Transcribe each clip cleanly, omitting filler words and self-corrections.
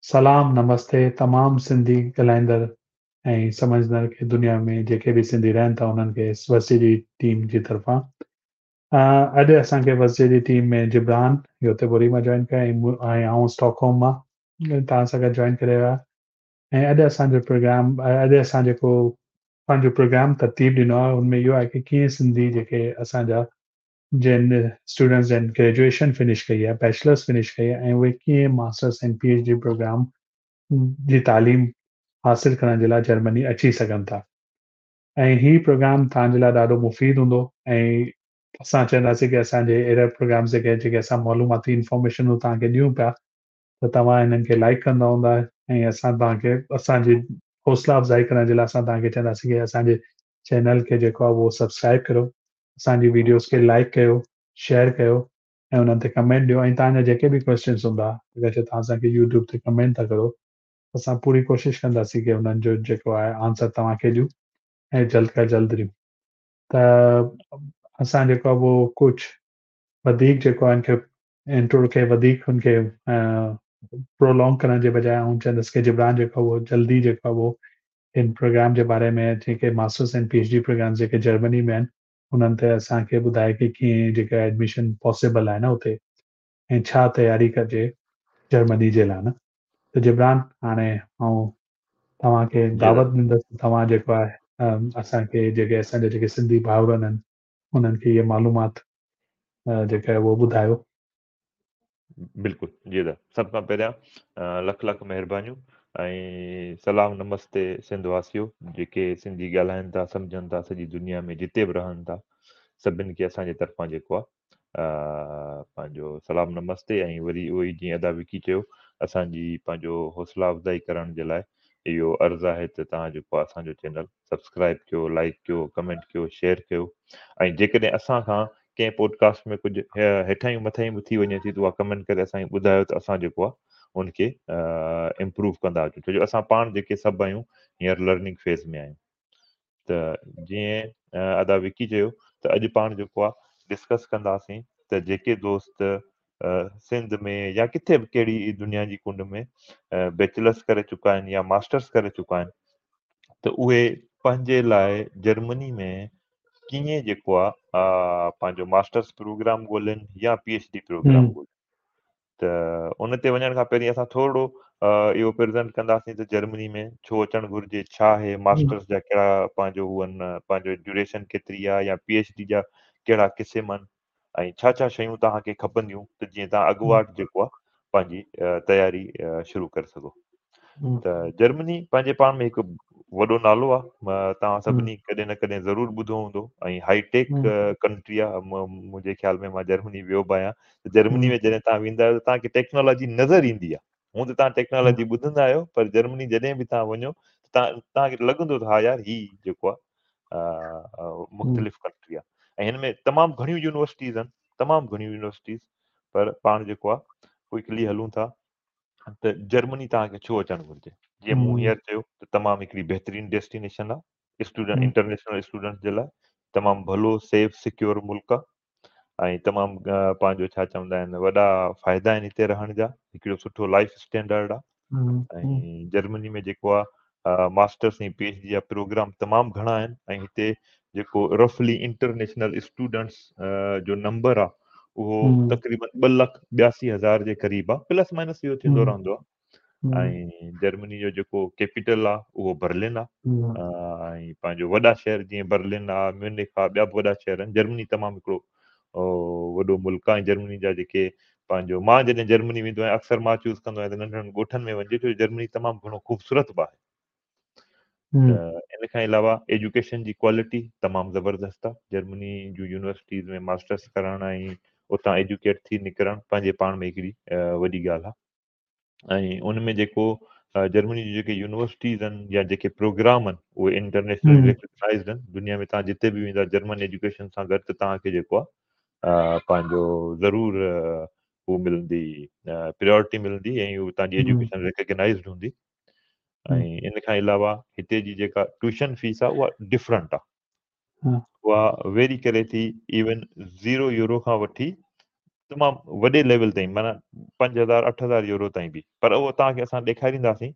سلام نمستي تمام سنڌي ڳالهائيندڙ ۽ سمجهندڙ کي دنيا ۾ جيڪي به سنڌي رهن ٿا انهن کي وسجي جي ٽيم جي طرفان. اڄ اسان کي وسجي جي ٽيم ۾ جبران يوتيبوري مان جوائن ڪيو ۽ آئون اسٽاڪهوم مان توهان سان گڏ جوائن ڪري رهيو آهيان. ۽ اڄ اسان جو پروگرام، اڄ اسان جيڪو پنهنجو پروگرام ترتيب ڏنو آهي ان ۾ اهو آهي ڪه ڪيئن سنڌي جيڪي اسان جا جن اسٽوڊنٽس جن گريجوئيشن فنش ڪئي آهي، بيچلرس فنش ڪئي آهي ۽ اهي ڪيئن masters ۽ P H D programme جي تعليم حاصل ڪرڻ جي لاء جرمني اچي سگهن ٿا. ۽ هي پروگرام توهان جي لاء ڏاڍو مفيد هوندو ۽ اسان چونداسين ڪه اسان جي اهڙا پروگرامس جيڪي جيڪي اسان معلوماتي انفارميشن توهان کي ڏيون پيا ته توهان هنن کي لائڪ ڪندا هوندا ۽ اسان توهان کي اسان جي حوصلا افزائي ڪرڻ جي لاء اسان توهان کي چونداسين ڪه اسان جي چينل کي جيڪو آهي اهو سبسڪرائب ڪريو، اسان جي ويڊيوز کي لائڪ ڪيو، شيئر ڪيو ۽ انهن تي ڪمينٽ ڏيو ۽ توهان جا جيڪي به ڪويسچنس هوندا اگر چي توهان اسان کي يوٽيوب تي ڪمينٽ ٿا ڪرو اسان پوري ڪوشش ڪنداسين ڪه انهن جو جيڪو آهي آنسر توهان کي ڏيون ۽ جلد کان جلد ڏيون ته اسان جيڪو آهي اهو ڪجهه وڌيڪ جيڪو آهي ان کي انٽرو کي وڌيڪ ان کي پرولونگ ڪرڻ جي بجاء آئون چوندس ڪه جبران جيڪو اهو جلدي جيڪو اهو ان پروگرام جي باري ۾ جيڪي masters ۽ P H D programmes جيڪي جرمني ۾ آهن انهن تي اسان کي ٻڌائي ڪه ڪيئن جيڪا ايڊميشن پاسيبل آهي نه اتي ۽ ڇا تياري ڪجي جرمني جي لاء نه. ته جبران هاڻي آئون توهان کي دعوت ڏيندس توهان جيڪو آهي اسان کي جيڪي اسان جا جيڪي سنڌي ڀائرن آهن انهن کي اها معلومات جيڪا آهي اهو ٻڌايو. بلڪل جي ادا سڀ کان پهريان لک لک مهربانيون ۽ سلام نمستي سنڌ واسيو جيڪي سنڌي ڳالهائن ٿا سمجهن ٿا سڄي دنيا ۾ جتي به رهن ٿا سڀن کي اسان جي طرفان جيڪو آ پنهنجو سلام نمستي ۽ وري اهو ئي جيئن ادا وڪي چيو اسان جي پنهنجو حوصلا افزائي ڪرڻ جي لاء اهو عرض آهي ته توهان جيڪو اسان جو چينل سبسڪرائب ڪيو، لائيڪ ڪيو، ڪمينٽ ڪيو، شيئر ڪيو ۽ جيڪڏهن اسان کان ڪنهن پوڊڪاسٽ ۾ ڪجهه هيٺاهيون مٿاهيون به ٿي وڃي ٿي ته اها ڪمينٽ ڪري اسان کي ٻڌايو ته اسان جيڪو آهي ان کي امپروو ڪندا اچون ڇو جو اسان پاڻ جيڪي سڀ آهيون هينئر لرننگ فيز ۾ آهيون ته جيئن ادا وڪي چيو ته اڄ پاڻ جيڪو آهي ڊسڪس ڪنداسين ته جيڪي دوست سنڌ ۾ يا ڪٿي به ڪهڙي دنيا جي ڪنڊ ۾ بيچلرس ڪري چڪا آهن يا ماسٽرس ڪري چڪا آهن ته اهي پنهنجي لاء جرمني ۾ ڪيئن جيڪو آ پنهنجو ماسٽرس پروگرام ڳولين يا پي ايڇ ڊي پروگرام ڳولين. ته ان تي وڃڻ کان پهرين اسان ٿورڙو اهو پريزنٽ ڪنداسين ته جرمني ۾ ڇو اچڻ گهرجي، ڇا آهي ماسٽرس جا ڪهڙا پنهنجو هو آهن، پنهنجو ڊيوريشن ڪيتري آهي يا پي ايڇ ڊي جا ڪهڙا قسم آهن ۽ ڇا ڇا شيون توهان کي کپنديون ته جيئن توهان اڳواٽ جيڪو آهي پنهنجي تياري شروع ڪري سگهو. ته جرمني پنهنجي پاڻ ۾ هڪ وڏو نالو آهي، توهان سڀني ڪڏهن نه ڪڏهن ضرور ٻڌو هوندو ۽ هائي ٽيڪ ڪنٽري آهي. منهنجي خيال ۾ مان جرمني ويو به آهيان ته جرمني ۾ جڏهن توهان ويندا آهيو ته توهان کي ٽيڪنالاجي نظر ايندي آهي. هونء ته توهان ٽيڪنالاجي ٻڌندا آهيو پر جرمني جڏهن به توهان وڃو ته توهان کي لڳندو ته ها يار هي جيڪو آهي مختلف ڪنٽري آهي ۽ هن ۾ تمام گهڻيون يونيورسٽيز آهن، تمام گهڻيون يونيورسٽيز، پر پاڻ جيڪو آهي ڪوئڪلي هلون ٿا ته جرمني توهان کي ڇو اچڻ گهرجي. جيئن مون هينئر چيو ته تمام هڪڙي بهترين ڊيسٽينيشن آهي اسٽوڊنٽ، انٽرنيشنل اسٽوڊنٽس جي لاء تمام ڀلو سيف سيڪيور ملڪ آهي ۽ تمام پنهنجو ڇا چوندا آهن وڏا فائدا آهن هتي رهڻ جا، هڪڙو سٺو لائف اسٽينڊرڊ آهي ۽ جرمني ۾ جيڪو آهي ماسٽرس ۽ پي ايڇ ڊي جا پروگرام تمام گهڻا آهن ۽ هتي جيڪو رفلي انٽرنيشنل اسٽوڊنٽس جو نمبر آهي اهو تقريبن 2,82,000 جي قريب آهي، پلس مائنس اهو ٿيندو رهندو آهي. ۽ جرمني جو جيڪو ڪيپيٽل آهي اهو برلن آهي ۽ پنهنجو وڏا شهر جيئن برلن آهي، ميونخ آهي، ٻيا به وڏا شهر آهن. جرمني تمام هڪڙو وڏو ملڪ آهي ۽ جرمني جا جيڪي پنهنجو مان جڏهن جرمني ويندو آهيان اڪثر مان چوز ڪندو آهيان ته ننڍن ڳوٺن ۾ وڃجي ڇو جو جرمني تمام گهڻو خوبصورت به آهي. ته ان کان علاوه ايجوڪيشن جي ڪوالٽي تمام زبردست آهي. جرمني جون يونيورسٽيز ۾ ماسٽرس ڪرڻ ۽ اتان ايجوڪيٽ ٿي نڪرڻ پنهنجي پاڻ ۾ هڪڙي وڏي ڳالهه آهي ۽ ان ۾ جيڪو جرمني جون جيڪي يونيورسٽيز آهن يا جيڪي پروگرام آهن اهي انٽرنيشنل ريڪگنائزڊ آهن. دنيا ۾ توهان جتي به ويندا جرمن ايجوڪيشن سان گڏ ته توهان کي جيڪو آهي پنهنجو ضرور هو ملندي، پريورٽي ملندي ۽ هو توهان جي ايجوڪيشن ريڪگنائزڊ هوندي. ۽ ان کان علاوه هتي جي جيڪا ٽيوشن فيس آهي اها ڊفرنٽ آهي، اها ويري ڪري ٿي ايون 0 يورو کان وٺي तमामु वॾे लेवल ताईं, माना 5000 8000 यूरो ताईं बि। पर उहो तव्हांखे असां ॾेखारींदासीं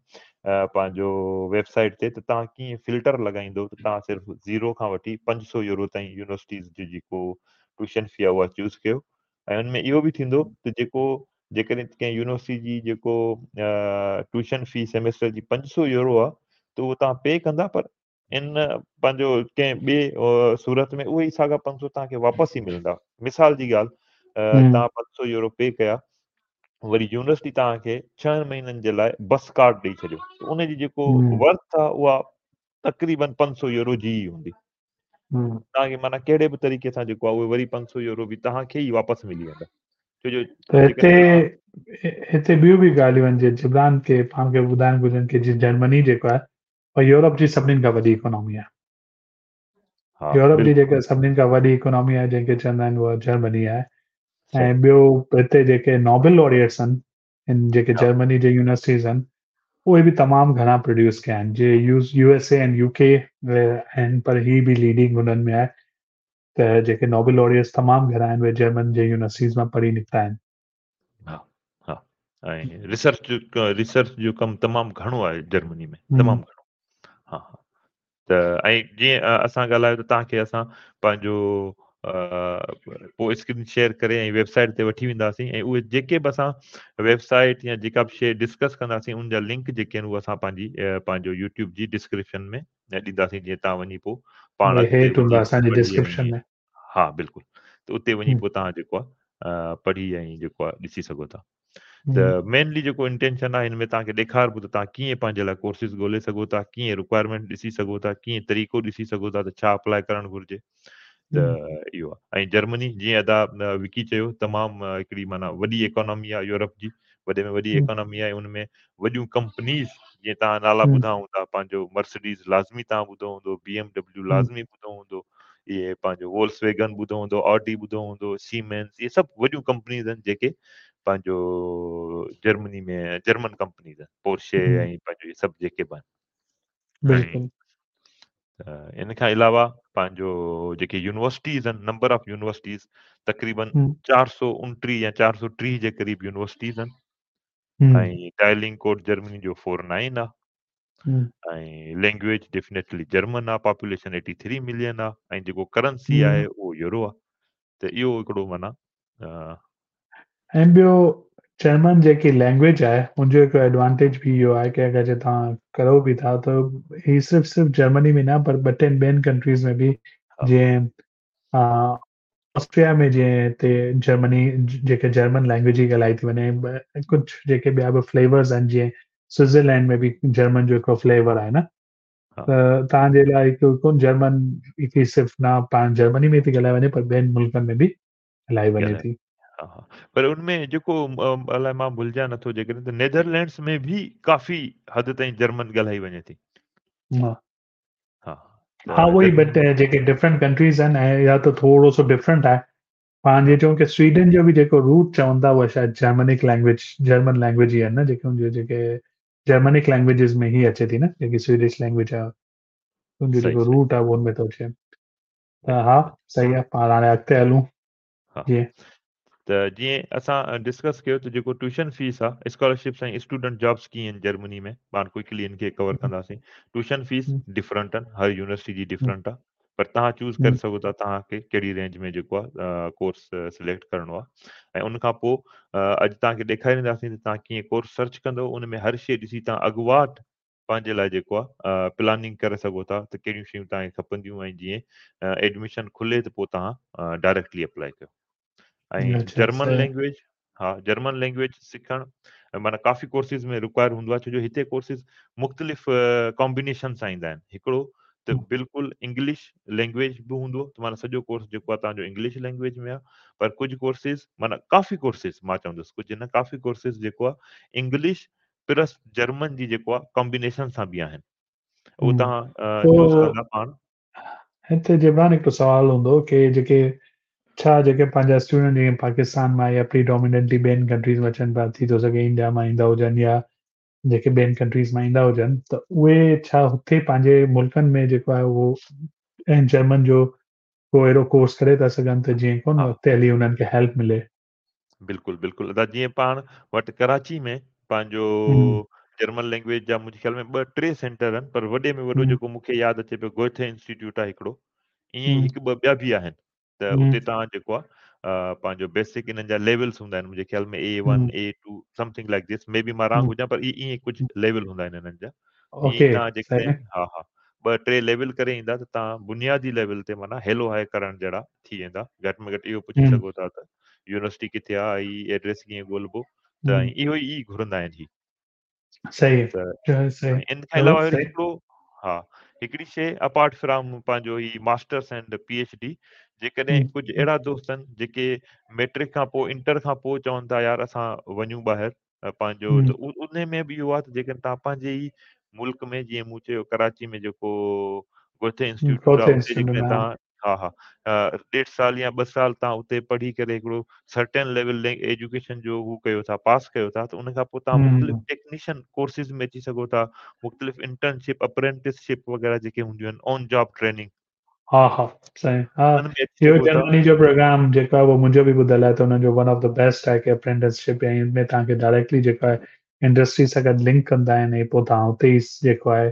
पंहिंजो वेबसाइट ते त तव्हां कीअं फिल्टर लॻाईंदो त तव्हां सिर्फ़ु 0 खां वठी 500 यूरो ताईं यूनिवर्सिटीज़ जो जेको ट्यूशन फी आहे उहा चूज़ कयो। ऐं हुन में इहो बि थींदो त जेको जेकॾहिं कंहिं यूनिवर्सिटी जी जेको ट्यूशन फी सेमेस्टर जी 500 यूरो आहे त उहो तव्हां पे कंदा, पर इन पंहिंजो कंहिं ॿिए सूरत में उहे ई साॻा 500 तव्हांखे वापसि ई मिलंदा। मिसाल जी ॻाल्हि, तव्हां 500 यूरो पे कया, वरी यूनिवर्सिटी तव्हांखे 6 महीननि जे लाइ बस कार्ड ॾेई छॾियो, त उन जी जेको वर्थ आहे उहा तक़रीबन 500 यूरो जी ई हूंदी। तव्हांखे माना कहिड़े बि तरीक़े सां जेको आहे उहे वरी 500 यूरो बि तव्हांखे ई वापसि मिली वेंदा। छो जो त हिते हिते ॿियूं बि ॻाल्हियूं आहिनि, जीअं जिब्रान खे पाण खे ॿुधाइणु घुरिजनि की जीअं जर्मनी जेको आहे उहा यूरोप जी सभिनीनि खां वॾी इकोनॉमी आहे। यूरोप जी जेका सभिनीनि खां वॾी इकोनॉमी आहे जंहिंखे चवंदा आहिनि उहा जर्मनी आहे। ऐं ॿियो हिते जेके नोबेल लॉरियट्स आहिनि, इन जेके जर्मनी जे यूनिवर्सिटीज़ आहिनि उहे बि तमामु घणा प्रोड्यूस कया आहिनि, जे USA and UK आहिनि, पर ही बि लीडिंग हुननि में आहे। त जेके नोबेल लॉरियट्स तमामु घणा आहिनि उहे जर्मन जे यूनिवर्सिटीज़ मां पढ़ी निकिता आहिनि। हा हा, ऐं रिसर्च जो कमु तमामु घणो आहे जर्मनी में, तमामु घणो। हा हा, त ऐं जीअं असां ॻाल्हायो त तव्हांखे असां पंहिंजो पोइ स्क्रीन शेयर करे ऐं वेबसाइट ते वठी वेंदासीं, ऐं उहे जेके बि असां वेबसाइट या जेका बि शइ डिस्कस कंदासीं उन जा लिंक जेके आहिनि उहे असां पंहिंजी पंहिंजो यूट्यूब जी डिस्क्रिप्शन में ॾींदासीं, जीअं तव्हां वञी पोइ पाण अॻिते वञी असांजी डिस्क्रिप्शन में। हा बिल्कुलु, त उते वञी पोइ तव्हां जेको आहे पढ़ी ऐं जेको आहे ॾिसी सघो था। त मेनली जेको इंटेंशन आहे हिन में तव्हांखे ॾेखारिबो त तव्हां कीअं पंहिंजे लाइ कोर्सिस ॻोल्हे सघो था, कीअं रिक्वायरमेंट ॾिसी सघो था, कीअं तरीक़ो ॾिसी सघो था त छा अप्लाई करणु घुरिजे। त इहो आहे। ऐं जर्मनी जीअं अदा विकी चयो तमामु हिकिड़ी माना वॾी इकोनॉमी आहे यूरोप जी, वॾे में वॾी इकोनॉमी आहे। उन में वॾियूं कंपनीज़ जीअं तव्हां नाला ॿुधा हूंदा, पंहिंजो मर्सिडीज़ लाज़मी तव्हां ॿुधो हूंदो, BMW लाज़मी ॿुधो हूंदो, इहे पंहिंजो वोल्सवेगन ॿुधो हूंदो, ऑडी ॿुधो हूंदो, सीमेंस, इहे सभु वॾियूं कंपनीज़ आहिनि जेके पंहिंजो जर्मनी में जर्मन कंपनीज़ आहिनि, पोर्शे ऐं पंहिंजो इहे सभु जेके बि आहिनि। बिल्कुलु। इन खां अलावा पंहिंजो जेके यूनिवर्सिटीज़ आहिनि, नंबर ऑफ़ यूनिवर्सिटीज़ तक़रीबन 429 या 430 जे क़रीब यूनिवर्सिटीज़ आहिनि। ऐं डायलिंग कोड जर्मनी जो 49 आहे। ऐं लैंग्वेज डेफिनेटली जर्मन आहे, पॉपुलेशन 83 मिलियन आहे ऐं जेको करेंसी आहे उहो यूरो आहे। त इहो हिकिड़ो माना ऐं ॿियो जर्मन जेकी लैंग्वेज आहे हुनजो हिकु एडवांटेज बि इहो आहे की अगरि जे तव्हां करो बि था त ही सिर्फ़ु सिर्फ़ु जर्मनी में न पर ॿ टे ॿियनि कंट्रीज़ में बि, जीअं ऑस्ट्रिया में जीअं हिते जर्मनी जेके जर्मन लैंग्वेज ई ॻाल्हाई थी वञे, कुझु जेके ॿिया बि फ्लेवर्स आहिनि, जीअं स्विट्ज़रलैंड में बि जर्मन जो हिकिड़ो फ्लेवर आहे न, त तव्हांजे लाइ हिकु कोन जर्मन हिकिड़ी सिर्फ़ु न पाण जर्मनी में थी ॻाल्हाई वञे पर ॿियनि मुल्कनि में बि ॻाल्हाई वञे थी। हा, पर उन में जेको अलाए मां भुलिजां नथो जेकॾहिं त नेदरलैंड्स में बि काफ़ी हद ताईं जर्मन ॻाल्हाई वञे थी। हा हा, उहो ई, बट जेके डिफरेंट कंट्रीज़ आहिनि ऐं या त थोरो सो डिफरेंट आहे। पाण जीअं चऊं की स्वीडन जो बि जेको रूट चवनि था उहा शायदि जर्मनिक लैंग्वेज, जर्मन लैंग्वेज ई आहे न, जेके हुनजो जेके जर्मनिक लैंग्वेजिस में ई अचे थी न, जेकी स्वीडिश लैंग्वेज आहे हुनजो जेको रूट आहे उहो हुन में थो अचे। त हा सही आहे, पाण हाणे अॻिते हलूं। जीअं त जीअं असां डिस्कस कयो त जेको ट्यूशन फीस आहे, स्कॉलरशिप्स ऐं स्टूडेंट जॉब्स कीअं आहिनि जर्मनी में, पाण क्विकली इन खे कवर कंदासीं। ट्यूशन फीस डिफरेंट आहिनि, हर यूनिवर्सिटी जी डिफरेंट आहे, पर तव्हां चूज़ करे सघो था तव्हांखे कहिड़ी रेंज में जेको आहे कोर्स सिलेक्ट करिणो आहे। ऐं उन खां पोइ अॼु तव्हांखे ॾेखारींदासीं त तव्हां कीअं कोर्स सर्च कंदव, उन में हर शइ ॾिसी तव्हां अॻुवाट पंहिंजे लाइ जेको आहे प्लानिंग करे सघो था त कहिड़ियूं शयूं तव्हांखे खपंदियूं ऐं जीअं एडमिशन खुले त पोइ तव्हां डायरेक्टली अप्लाई कयो। ऐं जर्मन लैंग्वेज, हा जर्मन लैंग्वेज सिखणु माना काफ़ी कोर्सिस में रिक्वायर हूंदो आहे, छो जो हिते कोर्सिस मुख़्तलिफ़ कॉम्बिनेशन सां ईंदा आहिनि। हिकिड़ो त बिल्कुलु इंग्लिश लैंग्वेज बि हूंदो, त माना सॼो कोर्स जेको आहे तव्हांजो इंग्लिश लैंग्वेज में आहे, पर कुझु कोर्सिस माना काफ़ी कोर्सिस मां चवंदुसि कुझु न, काफ़ी कोर्सिस जेको आहे इंग्लिश प्लस जर्मन जी जेको आहे कॉम्बिनेशन सां बि आहिनि, उहो तव्हां चूज़ कंदा पाण। हिते जिब्रान हिकिड़ो सुवालु हूंदो की जेके छा जेके पंहिंजा स्टूडेंट जीअं पाकिस्तान मां या प्रीडोमिनेंटली ॿियनि कंट्रीज़ मां अचनि पिया, थी थो सघे इंडिया मां ईंदा हुजनि या जेके ॿियनि कंट्रीज़ मां ईंदा हुजनि, त उहे छा हुते पंहिंजे मुल्कनि में जेको आहे उहो जर्मन जो को अहिड़ो कोर्स करे था सघनि त जीअं कोन अॻिते हली हुननि खे हेल्प मिले? बिल्कुलु, बिल्कुलु अदा जीअं पाण वटि कराची में पंहिंजो हम्म। जर्मन लैंग्वेज जा मुंहिंजे ख़्याल में ॿ टे सेंटर आहिनि, पर वॾे में वॾो हम्म। जेको मूंखे यादि अचे पियो गोएथे इंस्टीट्यूट आहे हिकिड़ो, ईअं ई हम्म। हिकु ॿ ॿिया बि आहिनि। त हम्म। उते तव्हां जेको आहे पंहिंजो बेसिक इन्हनि जा लेवल्स हूंदा आहिनि, मुंहिंजे ख़्याल में A1, hmm. A2 something like this, may be मां रॉन्ग हम्म। हुजां, पर ईअं कुझु लेवल हूंदा आहिनि इन्हनि जा। ईअं ई ओके, तव्हां सही जेकॾहिं हा हा ॿ टे लेवल करे ईंदा त तव्हां बुनियादी लेवल ते माना हेलो हाय करण जहिड़ा थी वेंदा। घटि में घटि इहो पुछी हम्म। सघो था त यूनिवर्सिटी किथे आहे, ही एड्रेस कीअं ॻोल्हिबो, त हम्म। इहो ई घुरंदा आहिनि ही। सही त सही। ऐं इन खां अलावा वरी सही। हिकिड़ो हा हिकिड़ी शइ अपार्ट फ्रॉम पंहिंजो ही मास्टर्स एंड PhD, जेकॾहिं हम्म। कुझु अहिड़ा दोस्त आहिनि जेके मैट्रिक खां पोइ इंटर खां पोइ चवनि था यार असां वञूं ॿाहिरि पंहिंजो, त हम्म। उन में बि इहो आहे त जेकॾहिं तव्हां पंहिंजे ई मुल्क में, जीअं मूं चयो कराची में जेको गोथे इंस्टीट्यूट आहे गोथे उते इंस्टीट्यूट जेकॾहिं में तव्हां हा हा 1.5 साल या 2 साल तव्हां उते पढ़ी करे हिकिड़ो सर्टेन लेवल एजुकेशन जो हू कयो था, पास कयो था, त उन खां पोइ तव्हां मुख़्तलिफ़ हम्म। टेक्नीशियन कोर्सिस में अची सघो था, मुख़्तलिफ़ इंटर्नशिप अप्रेंटिसशिप वग़ैरह जेके हूंदियूं आहिनि, ऑन जॉब ट्रेनिंग। हा हा सही हा। उन्हनि में अची इहो सघो था। जर्मनी जो प्रोग्राम जेको आहे उहो मुंहिंजो बि ॿुधल आहे त हुननि जो वन ऑफ the best आहे की अप्रेंटिसशिप ऐं इन में तव्हांखे डायरेक्टली जेको आहे इंडस्ट्री सां गॾु लिंक कंदा आहिनि ऐं पोइ तव्हां उते ई जेको आहे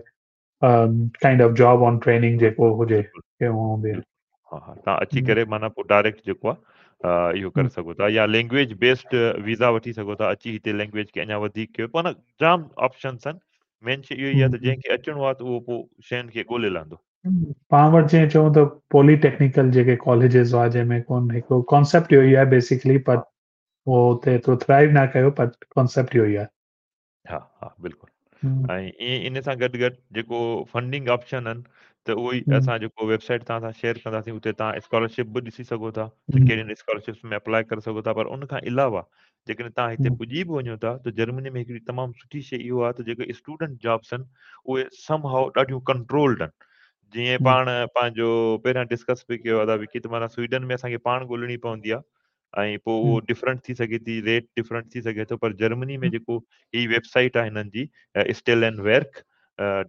kind of job on training जेको हुजे बिल्कुलु, उहो हूंदी आहे। बिल्कुलु। हा हा, तव्हां अची हम्म। करे माना पोइ डायरेक्ट जेको आहे इहो करे हम्म। सघो था, या लैंग्वेज बेस्ड वीज़ा वठी सघो था, अची हिते लैंग्वेज खे अञा वधीक कयो, माना जाम ऑप्शंस आहिनि। मेन शइ इहो ई आहे त हम्म। जंहिंखे अचिणो आहे त उहो पोइ शयुनि खे ॻोल्हे लहंदो। पाण वटि जीअं चऊं त पॉलीटेक्निकल जेके कॉलेजेस हुआ जंहिंमें कोन हिकिड़ो कॉन्सेप्ट इहो ई आहे बेसिकली, पर उहो हुते एतिरो थ्राइव न कयो, पर कॉन्सेप्ट इहो ई आहे। हा हा बिल्कुलु। हम्म। ऐं ईअं इन सां गॾु गॾु जेको फंडिंग ऑप्शन आहिनि त उहो ई हम्म। असां जेको वेबसाइट तव्हां सां शेयर कंदासीं उते तव्हां स्कॉलरशिप बि ॾिसी सघो था त हम्म। कहिड़ियुनि स्कॉलरशिप्स में अप्लाई करे सघो था। पर उन खां अलावा जेकॾहिं तव्हां हिते हम्म। पुॼी बि वञो था त जर्मनी में हिकिड़ी तमामु सुठी शइ इहो आहे त जेके स्टूडेंट जॉब्स आहिनि उहे समहाउ ॾाढियूं कंट्रोल्ड आहिनि। जीअं हम्म। पाण पंहिंजो पहिरियां डिस्कस बि कयो अदा विकी त माना स्वीडन में असांखे पाण ॻोल्हिणी पवंदी आहे ऐं पोइ उहो हम्म। डिफरेंट थी सघे थी, रेट डिफरेंट थी सघे थो, पर जर्मनी में जेको ही वेबसाइट आहे हिननि जी steel and work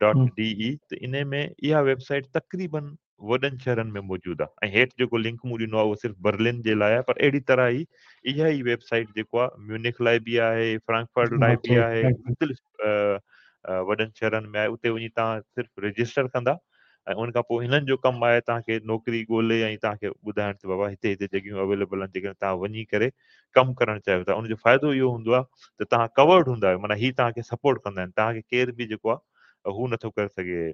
dot hmm. D E, त इन में इहा वेबसाइट तक़रीबन वॾनि शहरनि में मौजूदु आहे ऐं हेठि जेको लिंक मूं ॾिनो आहे उहो सिर्फ़ु बर्लिन जे लाइ आहे, पर अहिड़ी तरह ई इहा ई वेबसाइट जेको आहे म्यूनिक लाइ बि आहे, फ्रैंकफर्ट लाइ बि ओके, आहे, मुख़्तलिफ़ वॾनि शहरनि में आहे। उते वञी तव्हां सिर्फ़ु रजिस्टर कंदा ऐं उन खां पोइ हिननि जो कमु आहे तव्हांखे नौकिरी ॻोल्हे ऐं तव्हांखे ॿुधाइण त बाबा हिते हिते जॻहियूं अवेलेबल आहिनि, जेकॾहिं तव्हां वञी करे कमु करणु चाहियो था। उनजो फ़ाइदो इहो हूंदो आहे त तव्हां कवर्ड हूंदा आहियो, माना ही तव्हांखे सपोर्ट कंदा आहिनि, तव्हांखे केरु बि जेको आहे हू नथो करे सघे,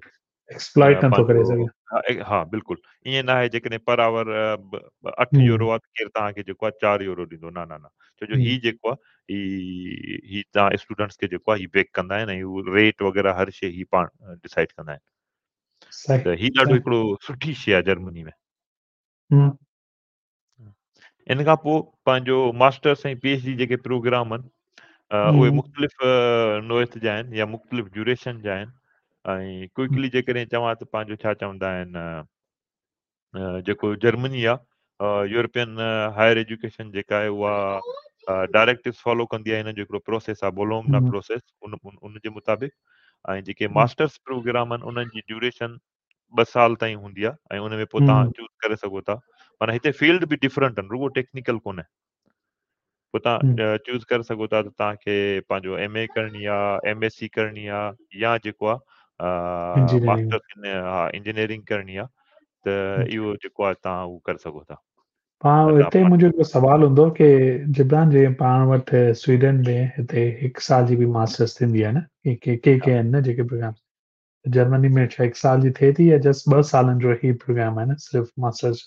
एक्सप्लॉइट नथो करे पंहिंजो सघे। हा बिल्कुलु ईअं न आहे जेकॾहिं पर आवर 8 हम्म। यूरो आहे त केरु तव्हांखे जेको आहे 4 यूरो ॾींदो, न न न, छो जो हम्म। ही जेको आहे ही ही तव्हां स्टूडेंट्स खे जेको आहे ही बेक कंदा आहिनि ऐं उहो रेट वग़ैरह हर शइ ही पाण डिसाइड कंदा आहिनि। सही, त ही ॾाढो सही। हिकिड़ो सुठी शइ आहे जर्मनी में। हम्म। इन खां पोइ पंहिंजो मास्टर्स ऐं PhD जेके प्रोग्राम आहिनि, उहे हम्म। मुख़्तलिफ़ नोयत जा आहिनि या मुख़्तलिफ़ ड्यूरेशन जा आहिनि। ऐं क्विकली जेकॾहिं चवां त पंहिंजो छा चवंदा आहिनि, जेको जर्मनी आहे, यूरोपियन हायर एजुकेशन जेका आहे उहा डायरेक्टिव्स फॉलो कंदी आहे, हिननि जो हिकिड़ो प्रोसेस आहे बोलोंगना हम्म। प्रोसेस, उन जे मुताबिक़। ऐं जेके हम्म। मास्टर्स प्रोग्राम आहिनि उन्हनि जी ड्यूरेशन 2 साल ताईं हूंदी आहे ऐं उन में पोइ तव्हां हम्म। चूज़ करे सघो था। माना हिते फील्ड बि डिफरेंट आहिनि, रुॻो टेक्निकल कोन्हे। पोइ तव्हां हम्म। चूज़ करे सघो था त तव्हांखे पंहिंजो MA करणी आहे, MSc करणी आहे या जेको आहे इंजीनियरिंग। मास्टर्स इन हा इंजीनियरिंग करणी आहे, त हम्म। इहो जेको आहे तव्हां उहो करे सघो था। पाण त तव्हां हिते पाण मुंहिंजो हिकिड़ो सवालु हूंदो की जिब्रान जे पाण वटि स्वीडन में हिते 1 साल जी बि मास्टर्स थींदी आहे न, के के के आहिनि न जेके प्रोग्राम जर्मनी में छा 1 साल जी थिए थी या जस्ट 2 सालनि जो ही प्रोग्राम आहे न सिर्फ़ु मास्टर्स?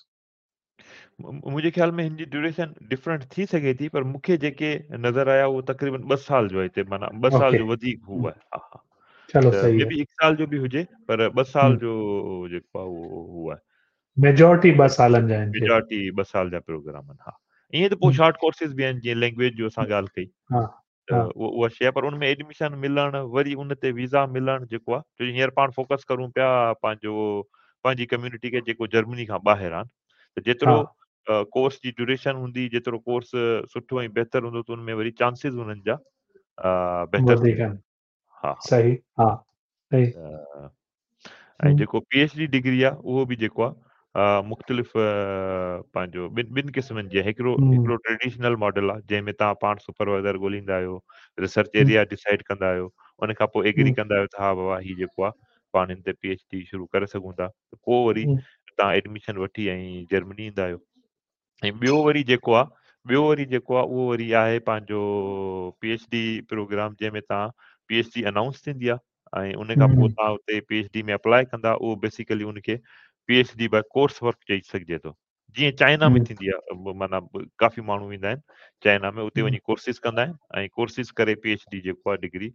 मुंहिंजे ख़्याल में हिन जी ड्यूरेशन डिफरेंट थी सघे थी, पर मूंखे जेके नज़र आया उहो तक़रीबन 2 साल जो आहे हिते, माना 2 साल ओके। जो वधीक हू हम्म। आहे। हा हा, चलो त सही मे आहे। बी 1 साल जो बि हुजे, पर 2 साल हम्म। जो जेको आहे उहो हू आहे। मेजॉरिटी 2 सालनि जा आहिनि। मेजॉरिटी 2 साल जा प्रोग्राम आहिनि। हा, ईअं त पोइ हम्म। शॉर्ट कोर्सिस बि आहिनि, जीअं लैंग्वेज जो असां ॻाल्हि कई, हा, त हा। उहा शइ आहे, पर उन में एडमिशन मिलणु, वरी उन ते वीज़ा मिलणु जेको आहे, छो जो हींअर पाण फोकस करूं पिया पंहिंजी कम्यूनिटी खे जेको जर्मनी खां ॿाहिरि आहे, त जेतिरो हा। कोर्स जी ड्यूरेशन हूंदी, जेतिरो कोर्स सुठो ऐं बहितर हूंदो, त उन में वरी चांसिस हुननि जा बहितर वधीक थींदा। आहिनि। हा, हा। सही, हा, सही। त ऐं हम्म। जेको PhD degree आहे, उहो बि जेको आहे, मुख़्तलिफ़ पंहिंजो ॿिनि क़िस्मनि जी हिकिड़ो हिकिड़ो ट्रेडिशनल मॉडल आहे जंहिंमें तव्हां पाण सुपरवाइज़र ॻोल्हींदा आहियो, रिसर्च एरिया डिसाइड कंदा आहियो, उन खां पोइ एग्री कंदा आहियो त हा बाबा हीउ जेको आहे पाण हिन ते पी एच डी शुरू करे सघूं था, त पोइ वरी तव्हां एडमिशन वठी ऐं जर्मनी ईंदा आहियो। ऐं ॿियो वरी जेको आहे उहो वरी आहे पंहिंजो पी एच डी प्रोग्राम जंहिंमें तव्हां पी एच डी अनाउंस थींदी आहे ऐं उन खां पोइ तव्हां उते पी एच डी में अप्लाई कंदा, उहो बेसिकली उनखे P H D by course work चई सघिजे थो। जीअं चाइना में थींदी आहे, माना काफ़ी माण्हू ईंदा आहिनि चाइना में, उते वञी कोर्सिस कंदा आहिनि ऐं कोर्सिस करे पी एच डी जेको आहे डिग्री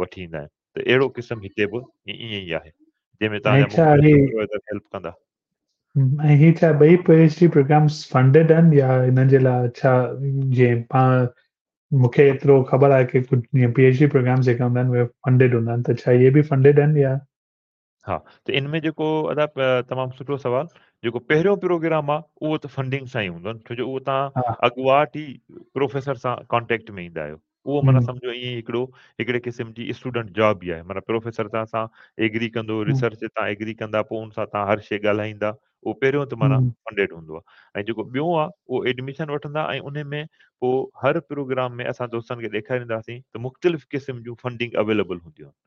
वठी ईंदा आहिनि। त अहिड़ो क़िस्मु हिते बि ईअं ई आहे जंहिंमें तव्हांजा सुपरवाइज़र हेल्प कंदा। ऐं हीअ छा ॿई P H D programmes funded आहिनि या हिननि जे लाइ छा, जीअं पाण मूंखे एतिरो ख़बर आहे की कुझु जीअं पी एच डी प्रोग्राम्स जेका हूंदा आहिनि उहे फंडेड हूंदा आहिनि, त छा इहे बि फंडेड आहिनि या? हा, त इन में जेको अदा तमामु सुठो सवाल, जेको पहिरियों प्रोग्राम आहे उहो त फंडिंग सां ई हूंदो आहे, छो जो उहो तव्हां अॻुवाट ई प्रोफेसर सां कॉन्टेक्ट में ईंदा आहियो, उहो माना सम्झो ईअं हिकिड़ो हिकिड़े क़िस्म जी स्टूडेंट जॉब ई आहे, माना प्रोफेसर तव्हां सां एग्री कंदो, रिसर्च ते तव्हां एग्री कंदा, पोइ उन सां तव्हां हर शइ ॻाल्हाईंदा, उहो पहिरियों त माना फंडेड हूंदो आहे। ऐं जेको ॿियो आहे उहो एडमिशन वठंदा ऐं उन में पोइ हर प्रोग्राम में असां दोस्तनि खे ॾेखारींदासीं त मुख़्तलिफ़ क़िस्म जूं फंडिंग अवेलेबल हूंदियूं आहिनि।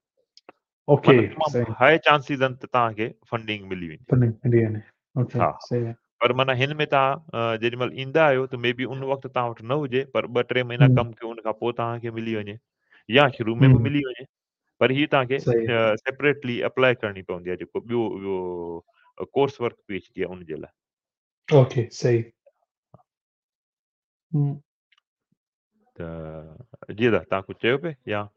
ओके, तमामु हाई चांसिस आहिनि त तव्हांखे फंडिंग मिली वेंदी। फंडिंग मिली वञे, ओके, हा, सही आहे। पर माना हिन में तव्हां जेॾी महिल ईंदा आहियो त मे बी उन वक़्तु तव्हां वटि न हुजे, पर 2-3 महीना कमु कयो उन खां पोइ तव्हांखे मिली वञे या शुरू में बि मिली वञे, पर हीअ तव्हांखे सेपरेटली अप्लाई करणी पवंदी आहे जेको ॿियो उहो course work P H D आहे उनजे लाइ। ओके, सही। त जी दादा तव्हां कुझु चयो पिए या?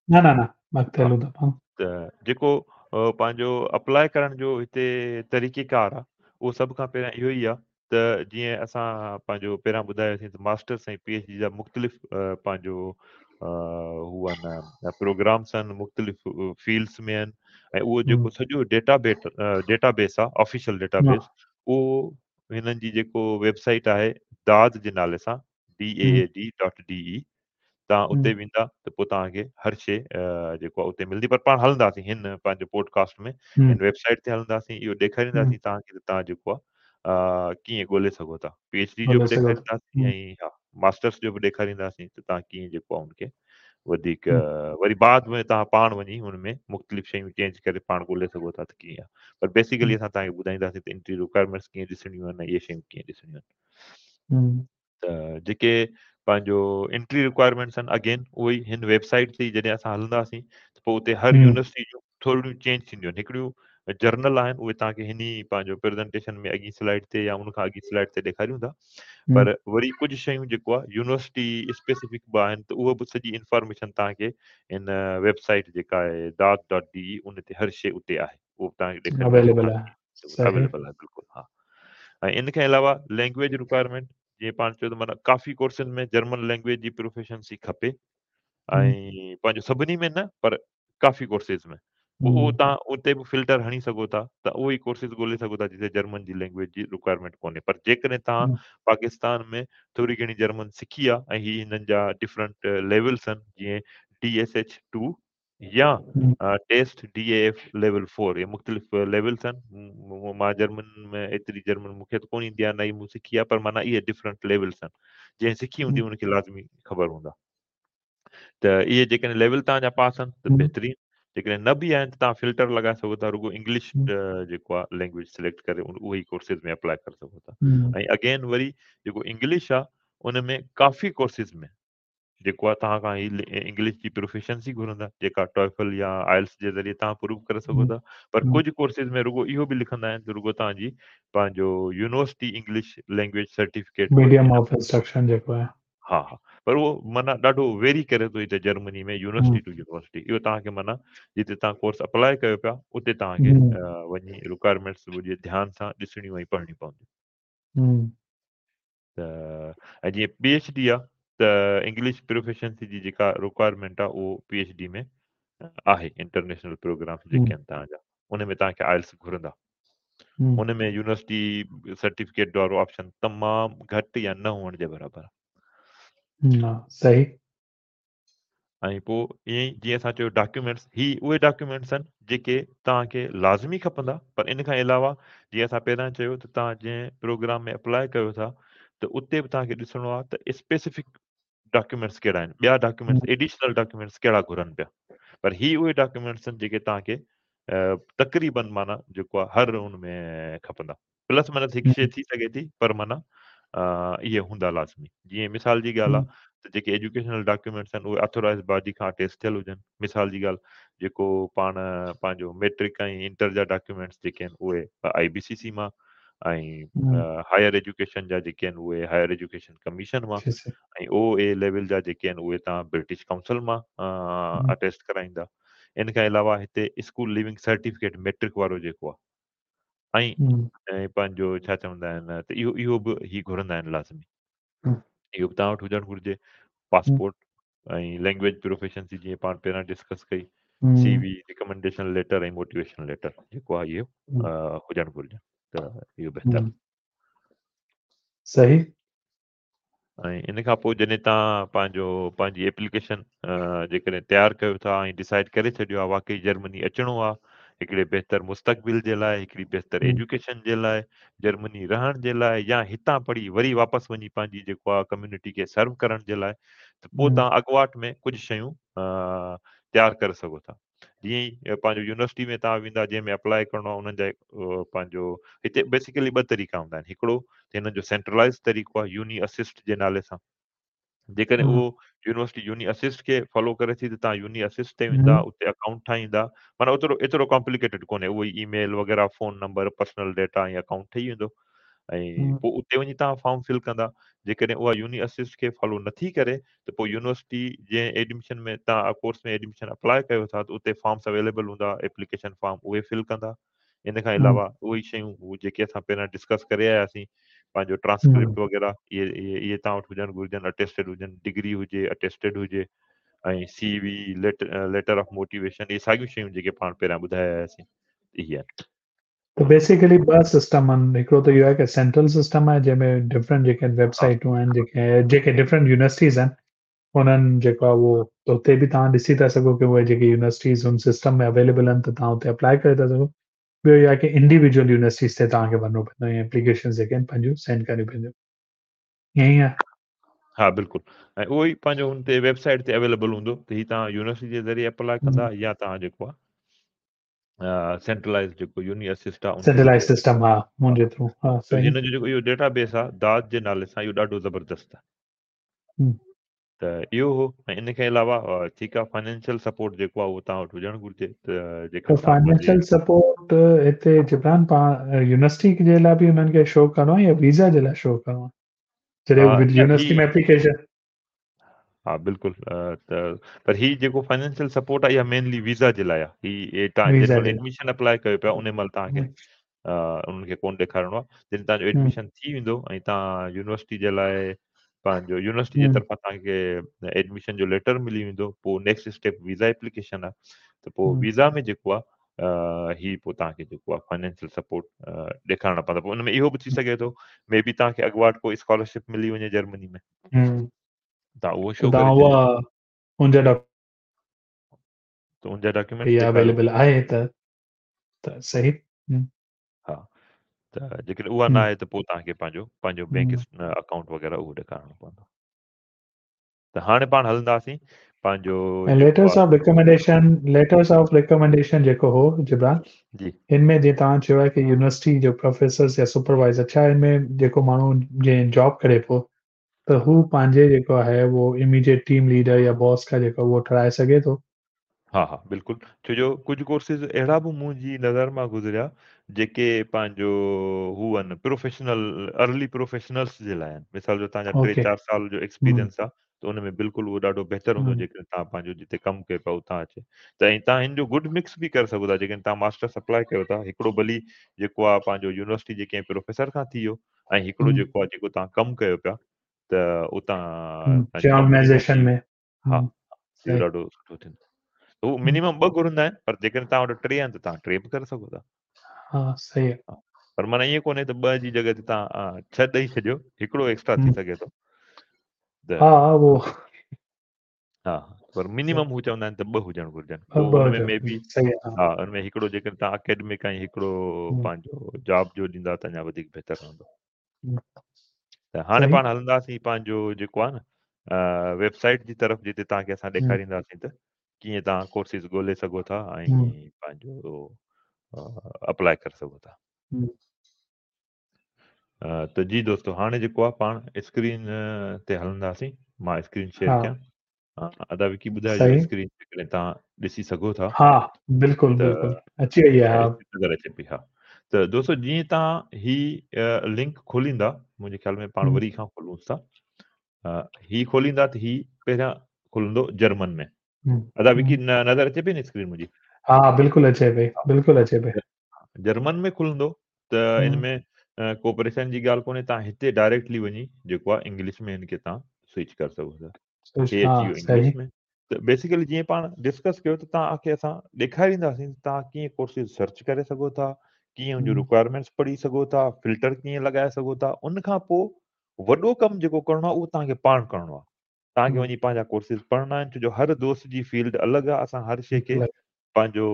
न न न, अॻिते हलूं था पाण। त जेको पंहिंजो अप्लाई करण जो हिते तरीक़ेकार आहे उहो सभ खां पहिरियां इहो ई आहे त जीअं असां पंहिंजो पहिरियां ॿुधायोसीं त मास्टर्स ऐं पी एच डी जा मुख़्तलिफ़ पंहिंजो हू आहिनि प्रोग्राम्स आहिनि, मुख़्तलिफ़ फील्ड्स में आहिनि ऐं उहो जेको सॼो डेटाबेस आहे, ऑफिशियल डेटाबेस, उहो हिननि जी जेको वेबसाइट आहे दाद जे नाले सां daad.de, तव्हां उते वेंदा त पोइ तव्हांखे हर शइ जेको आहे उते मिलंदी। पर पाण हलंदासीं हिन पंहिंजे पॉडकास्ट में, हिन वेबसाइट ते हलंदासीं, इहो ॾेखारींदासीं तव्हांखे त तव्हां जेको आहे कीअं ॻोल्हे सघो था। पी एच डी जो बि ॾेखारींदासीं ऐं हा मास्टर्स जो बि ॾेखारींदासीं त तव्हां कीअं जेको आहे उनखे वधीक वरी बाद में तव्हां पाण वञी हुन में मुख़्तलिफ़ शयूं चेंज करे पाण ॻोल्हे सघो था त कीअं आहे। पर बेसिकली असां तव्हांखे ॿुधाईंदासीं त एंट्री रिक्वायरमेंट्स कीअं ॾिसणियूं आहिनि ऐं इहे शयूं कीअं ॾिसणियूं आहिनि। त जेके पंहिंजो एंट्री रिक्वायरमेंट्स आहिनि अगेन उहो ई हिन वेबसाइट ते जॾहिं असां हलंदासीं त पोइ उते हर यूनिवर्सिटी जूं थोरियूं चेंज थींदियूं आहिनि। हिकिड़ियूं जर्नल आहिनि उहे तव्हांखे हिन ई पंहिंजो प्रेज़ेंटेशन में अॻी स्लाइड ते या उन खां अॻी स्लाइड ते ॾेखारियूं था, पर वरी कुझु शयूं जेको आहे यूनिवर्सिटी स्पेसिफिक बि आहिनि त उहो बि सॼी इन्फॉर्मेशन तव्हांखे हिन वेबसाइट जेका आहे daad.de उन ते हर शइ उते आहे, उहो तव्हांखे अवेलेबल आहे, अवेलेबल आहे बिल्कुलु। हा, ऐं इन खां अलावा लैंग्वेज रिक्वायरमेंट जीअं पाण चयो त माना काफ़ी कोर्सनि में जर्मन लैंग्वेज जी प्रोफिशिएंसी खपे ऐं पंहिंजो सभिनी में न पर काफ़ी कोर्सिस में पोइ उहो तव्हां उते बि फिल्टर हणी सघो था त उहो ई कोर्सिस ॻोल्हे सघो था जिते जर्मन जी लैंग्वेज जी रिक्वायरमेंट कोन्हे। पर जेकॾहिं तव्हां पाकिस्तान में थोरी घणी जर्मन सिखी आहे ऐं हीअ हिननि जा डिफरेंट लेवल्स आहिनि जीअं DSH 2 या टेस्ट DAF level 4, इहे मुख़्तलिफ़ लेवल्स आहिनि। मां जर्मन में एतिरी जर्मन मूंखे त कोन ईंदी आहे, न ई मूं सिखी आहे, पर माना इहे डिफरेंट लेवल्स आहिनि, जंहिं सिखी हूंदी उनखे लाज़मी ख़बर हूंदा। त इहे जेकॾहिं लेवल तव्हांजा पास आहिनि त बहितरीनु, जेकॾहिं न बि आहिनि त तव्हां फिल्टर लॻाए सघो था, रुगो इंग्लिश जेको आहे लैंग्वेज सिलेक्ट करे उहो ई कोर्सिस में अप्लाई करे सघो था। ऐं अगेन वरी जेको इंग्लिश आहे उन में काफ़ी कोर्सिस में जेको आहे तव्हां खां हीअ इंग्लिश जी प्रोफिशिएंसी घुरंदा, जेका टॉयफल या आइल्स जे ज़रिए तव्हां प्रूव करे सघो था। पर कुझु कोर्सिस में रुगो इहो बि लिखंदा आहिनि त रुगो तव्हांजी पंहिंजो university English language certificate medium of instruction जेको आहे, हा हा, पर उहो माना ॾाढो वेरी करे थो हिते जर्मनी में यूनिवर्सिटी टू यूनिवर्सिटी। इहो तव्हांखे माना जिते तव्हां कोर्स अप्लाई कयो पिया उते तव्हांखे वञी रिक्वायरमेंट्स वॾे ध्यान सां ॾिसणियूं ऐं पढ़णियूं पवंदियूं। त ऐं जीअं पी एच डी आहे त इंग्लिश प्रोफिशिएंसी जी जेका रिक्वायरमेंट आहे उहो पी एच डी में आहे। इंटरनेशनल प्रोग्राम जेके आहिनि तव्हांजा उन में तव्हांखे आइल्स घुरंदा, उन में यूनिवर्सिटी सर्टिफिकेट वारो ऑप्शन तमामु घटि या न हुअण जे बराबरि आहे। सही। ऐं पोइ ईअं ई जीअं असां चयो डॉक्यूमेंट्स, ही उहे डॉक्यूमेंट्स आहिनि जेके तव्हांखे लाज़मी खपंदा, पर इन खां अलावा जीअं असां पहिरियां चयो त तव्हां जंहिं प्रोग्राम में अप्लाई कयो था त उते बि तव्हांखे ॾिसणो आहे त स्पेसिफिक डॉक्यूमेंट्स कहिड़ा आहिनि, ॿिया डॉक्यूमेंट्स एडिशनल डॉक्यूमेंट्स कहिड़ा घुरनि पिया। पर ही उहे डॉक्यूमेंट्स आहिनि जेके तव्हांखे तक़रीबन माना जेको आहे हर उन में खपंदा। प्लस माइनस हिकु शइ थी सघे थी, पर माना इहे हूंदा लाज़मी। जीअं मिसाल जी ॻाल्हि आहे त जेके एजुकेशनल डॉक्यूमेंट्स आहिनि उहे ऑथोराइज़ बॉडी खां अटेस्ट थियल हुजनि। मिसाल जी ॻाल्हि जेको पाण पंहिंजो मैट्रिक ऐं इंटर जा डॉक्यूमेंट्स जेके आहिनि उहे IBCC मां ऐं हायर एजुकेशन जा जेके आहिनि उहे हायर एजुकेशन कमीशन मां ऐं ओ ए लेवल जा जेके आहिनि उहे तव्हां ब्रिटिश काउंसिल मां अटेस्ट कराईंदा। इन खां अलावा हिते स्कूल लिविंग सर्टिफिकेट मैट्रिक वारो जेको आहे ऐं पंहिंजो छा चवंदा आहिनि त इहो इहो बि ही घुरंदा आहिनि लाज़मी, इहो बि तव्हां वटि हुजणु घुरिजे। पासपोर्ट ऐं लैंग्वेज प्रोफिशिएंसी जीअं पाण पहिरियां डिस्कस कई, CV, recommendation letter ऐं मोटिवेशन लेटर जेको आहे इहो हुजणु घुरिजे त इहो बहितर। सही। ऐं इन खां पोइ जॾहिं तव्हां पंहिंजो पंहिंजी एप्लीकेशन जेकॾहिं तयारु कयो था ऐं डिसाइड करे छॾियो आहे वाकई जर्मनी अचिणो आहे हिकिड़े बहितर मुस्तक़बिल जे लाइ, हिकिड़ी बहितर एजुकेशन जे लाइ, जर्मनी रहण जे लाइ या हितां पढ़ी वरी वापसि वञी पंहिंजी जेको आहे कम्यूनिटी खे सर्व करण जे लाइ, त पोइ तव्हां अॻुवाट में कुझु शयूं तयारु करे सघो था। जीअं ई पंहिंजो यूनिवर्सिटी में तव्हां वेंदा जंहिंमें अप्लाई करिणो आहे उन्हनि जा पंहिंजो हिते बेसिकली ॿ तरीक़ा हूंदा आहिनि। हिकिड़ो हिननि जो सेंट्रलाइज़ तरीक़ो आहे यूनी असिस्ट जे नाले सां, जेकॾहिं उहो यूनिवर्सिटी यूनी असिस्ट खे फॉलो करे थी त तव्हां यूनी असिस्ट ते वेंदा, उते अकाउंट ठाहींदा, माना ओतिरो एतिरो कॉम्प्लिकेटेड कोन्हे, उहो ई ईमेल वग़ैरह, फ़ोन नंबर, पर्सनल डेटा ऐं अकाउंट ठही वेंदो ऐं पोइ उते वञी तव्हां फॉर्म फिल कंदा। जेकॾहिं उहा यूनी असिस्ट खे फॉलो नथी करे त पोइ यूनिवर्सिटी जंहिं एडमिशन में तव्हां कोर्स में एडमिशन अप्लाई कयो था त उते फॉर्म्स अवेलेबल हूंदा, एप्लीकेशन फॉर्म उहे फिल कंदा। इन खां अलावा उहे ई शयूं जेके असां पहिरियां डिस्कस करे आयासीं, पंहिंजो ट्रांसक्रिप्ट वग़ैरह इहे इहे इहे तव्हां वटि हुजणु घुरिजनि, अटेस्टेड हुजनि, डिग्री हुजे, अटेस्टेड हुजे ऐं CV, letter of motivation, इहे साॻियूं शयूं जेके पाण पहिरियां ॿुधाए आयासीं इहे आहिनि। त बेसिकली ॿ सिस्टम आहिनि, हिकिड़ो त इहो आहे की सेंट्रल सिस्टम आहे जंहिंमें डिफरेंट जेके वेबसाइटूं आहिनि, जेके जेके डिफरेंट यूनिवर्सिटीज़ आहिनि उन्हनि जेको आहे उहो त उते बि तव्हां ॾिसी था सघो की उहे जेके यूनिवर्सिटीज़ हुन सिस्टम में अवेलेबल आहिनि त तव्हां उते अप्लाई करे था सघो। ॿियो इहो आहे की इंडिविजुअल यूनिवर्सिटीज़ ते तव्हांखे वञिणो पवंदो ऐं एप्लीकेशन जेके आहिनि पंहिंजूं सेंड करणियूं पवंदियूं, ईअं ई आहे। हा बिल्कुलु, ऐं उहो ई पंहिंजो हुन ते वेबसाइट ते अवेलेबल हूंदो त हीअ तव्हां यूनिवर्सिटी जे ज़रिए अप्लाई कंदा या तव्हां जेको आहे सेंट्रलाइज़ जेको यूनी असिस्ट आहे सेंट्रलाइज़ सिस्टम हा हुनजे थ्रू। हा सही। हिन जो जेको इहो डेटाबेस आहे दाद जे नाले सां, इहो ॾाढो ज़बरदस्त आहे। त इहो हो। ऐं इन खां अलावा ठीकु आहे फाइनेंशियल सपोर्ट जेको आहे उहो तव्हां वटि हुजणु घुरिजे त जेका फाइनेंशियल सपोर्ट हिते जिब्रान पाण यूनिवर्सिटी जे लाइ बि हुननि खे शो करिणो आहे या वीज़ा जे लाइ शो करिणो आहे जॾहिं यूनिवर्सिटी में एप्लीकेशन? हा बिल्कुलु, त पर ही जेको फाइनेंशियल सपोर्ट आहे इहा मेनली वीज़ा जे लाइ आहे। ही तव्हां जंहिं महिल एडमिशन अप्लाई कयो पिया उन महिल तव्हांखे उन्हनि खे कोन ॾेखारिणो आहे। जॾहिं तव्हांजो एडमिशन थी वेंदो ऐं तव्हां यूनिवर्सिटी जे लाइ पंहिंजो यूनिवर्सिटी जे तरफ़ां तव्हांखे एडमिशन जो लेटर मिली वेंदो, पोइ नेक्स्ट स्टेप वीज़ा एप्लीकेशन आहे त पोइ वीज़ा में जेको आहे ही पोइ तव्हांखे जेको आहे फाइनेंशियल सपोर्ट ॾेखारिणो पवंदो। पोइ उन में इहो बि थी सघे थो मे बी तव्हांखे अॻुवाट को स्कॉलरशिप मिली वञे जर्मनी में, तव्हां उहो शो करे छॾियो त उनजा डॉक्यूमेंट्स अवेलेबल आहे त सही। हा त जेकॾहिं उहा न आहे त पोइ तव्हांखे पंहिंजो पंहिंजो बैंक अकाउंट वग़ैरह उहो ॾेखारिणो पवंदो। त हाणे पाण हलंदासीं पंहिंजो letters of recommendation. Letters of recommendation जेको हो जिब्रान जी, हिन में जीअं तव्हां चयो आहे की यूनिवर्सिटी जो प्रोफेसर्स या सुपरवाइज़र, छा हिन में जेको माण्हू जंहिं जॉब करे पियो त हू पंहिंजे जेको आहे उहो इमीडिएट टीम लीडर या बॉस खां जेको उहो ठाराए सघे थो? हा हा बिल्कुलु, छो जो कुझु कोर्सिस अहिड़ा बि मुंहिंजी नज़र मां गुज़रिया जेके पंहिंजो हू आहिनि प्रोफेशनल, अर्ली प्रोफेशनल्स जे लाइ आहिनि। मिसाल जो तव्हांजा 3-4 साल जो एक्सपीरियंस आहे त उन में बिल्कुलु उहो ॾाढो बहितर हूंदो जेकॾहिं तव्हां पंहिंजो जिते कमु कयो पिया उतां अचे त। ऐं तव्हां हिन जो गुड मिक्स बि करे सघो था, जेकॾहिं तव्हां मास्टर्स अप्लाई कयो था, हिकिड़ो भली जेको आहे पंहिंजो यूनिवर्सिटी जे कंहिं प्रोफेसर खां थी वियो ऐं हिकिड़ो जेको आहे जेको तव्हां कमु कयो पिया त उतां ऑर्गेनाइजेशन में। हा इहो ॾाढो सुठो थींदो। उहो मिनिमम ॿ घुरंदा आहिनि, पर जेकॾहिं तव्हां वटि 3 आहिनि त तव्हां 3 बि करे सघो था। हा सही आहे। पर माना ईअं कोन्हे त ॿ जी जॻह ते तव्हां 6 ॾेई छॾियो, हिकिड़ो एक्स्ट्रा थी सघे थो। हा उहो हा पर मिनिमम हू चवंदा आहिनि त ॿ हुजणु घुरिजनि। पोइ ॿ हुन में हुजनि, मे बी सही आहे। हा, हुन में हिकिड़ो जेकॾहिं तव्हां अकेडमिक ऐं हिकिड़ो पंहिंजो जॉब जो ॾींदा त अञा वधीक बहितर रहंदो। त हाणे पाण हलंदासीं पंहिंजो जेको आहे न वेबसाइट जी तरफ़, जिते तव्हांखे असां ॾेखारींदासीं त कीअं तव्हां कोर्सिस ॻोल्हे सघो था ऐं पंहिंजो अप्लाई करे सघो था। त जी दोस्तो, हाणे जेको आहे पाण स्क्रीन ते हलंदासीं। मां स्क्रीन शेयर कयां। अदा विकी ॿुधाइजो स्क्रीन जेकॾहिं तव्हां ॾिसी सघो था। हा, बिल्कुलु बिल्कुलु अची वई आहे। हा, नज़र अचे पई। हा, त दोस्तो जीअं तव्हां ही लिंक खोलींदा, मुंहिंजे ख़्याल में पाण वरी खां खोलूंसि था। ही खोलींदा त ही पहिरियां खुलंदो जर्मन में। अदा विकी नज़र अचे पई न स्क्रीन मुंहिंजी? हा, बिल्कुलु अचे पई, बिल्कुलु अचे पई। जर्मन में खुलंदो त इन में को परेशानी जी ॻाल्हि कोन्हे, तव्हां हिते डायरेक्टली वञी जेको आहे इंग्लिश में हिन खे तव्हां स्विच करे सघो था। हे अची वियो इंग्लिश में। त बेसिकली जीअं पाण डिस्कस कयो त तव्हांखे असां ॾेखारींदासीं तव्हां कीअं कोर्सिस सर्च करे सघो था, कीअं हुनजो रिक्वायरमेंट्स पढ़ी सघो था, फिल्टर कीअं लॻाए सघो था। उन खां पोइ वॾो कमु जेको करिणो आहे उहो तव्हांखे पाण करिणो आहे। तव्हांखे वञी पंहिंजा कोर्सिस पढ़णा आहिनि, छो जो हर दोस्त जी फील्ड अलॻि आहे। असां हर शइ खे पंहिंजो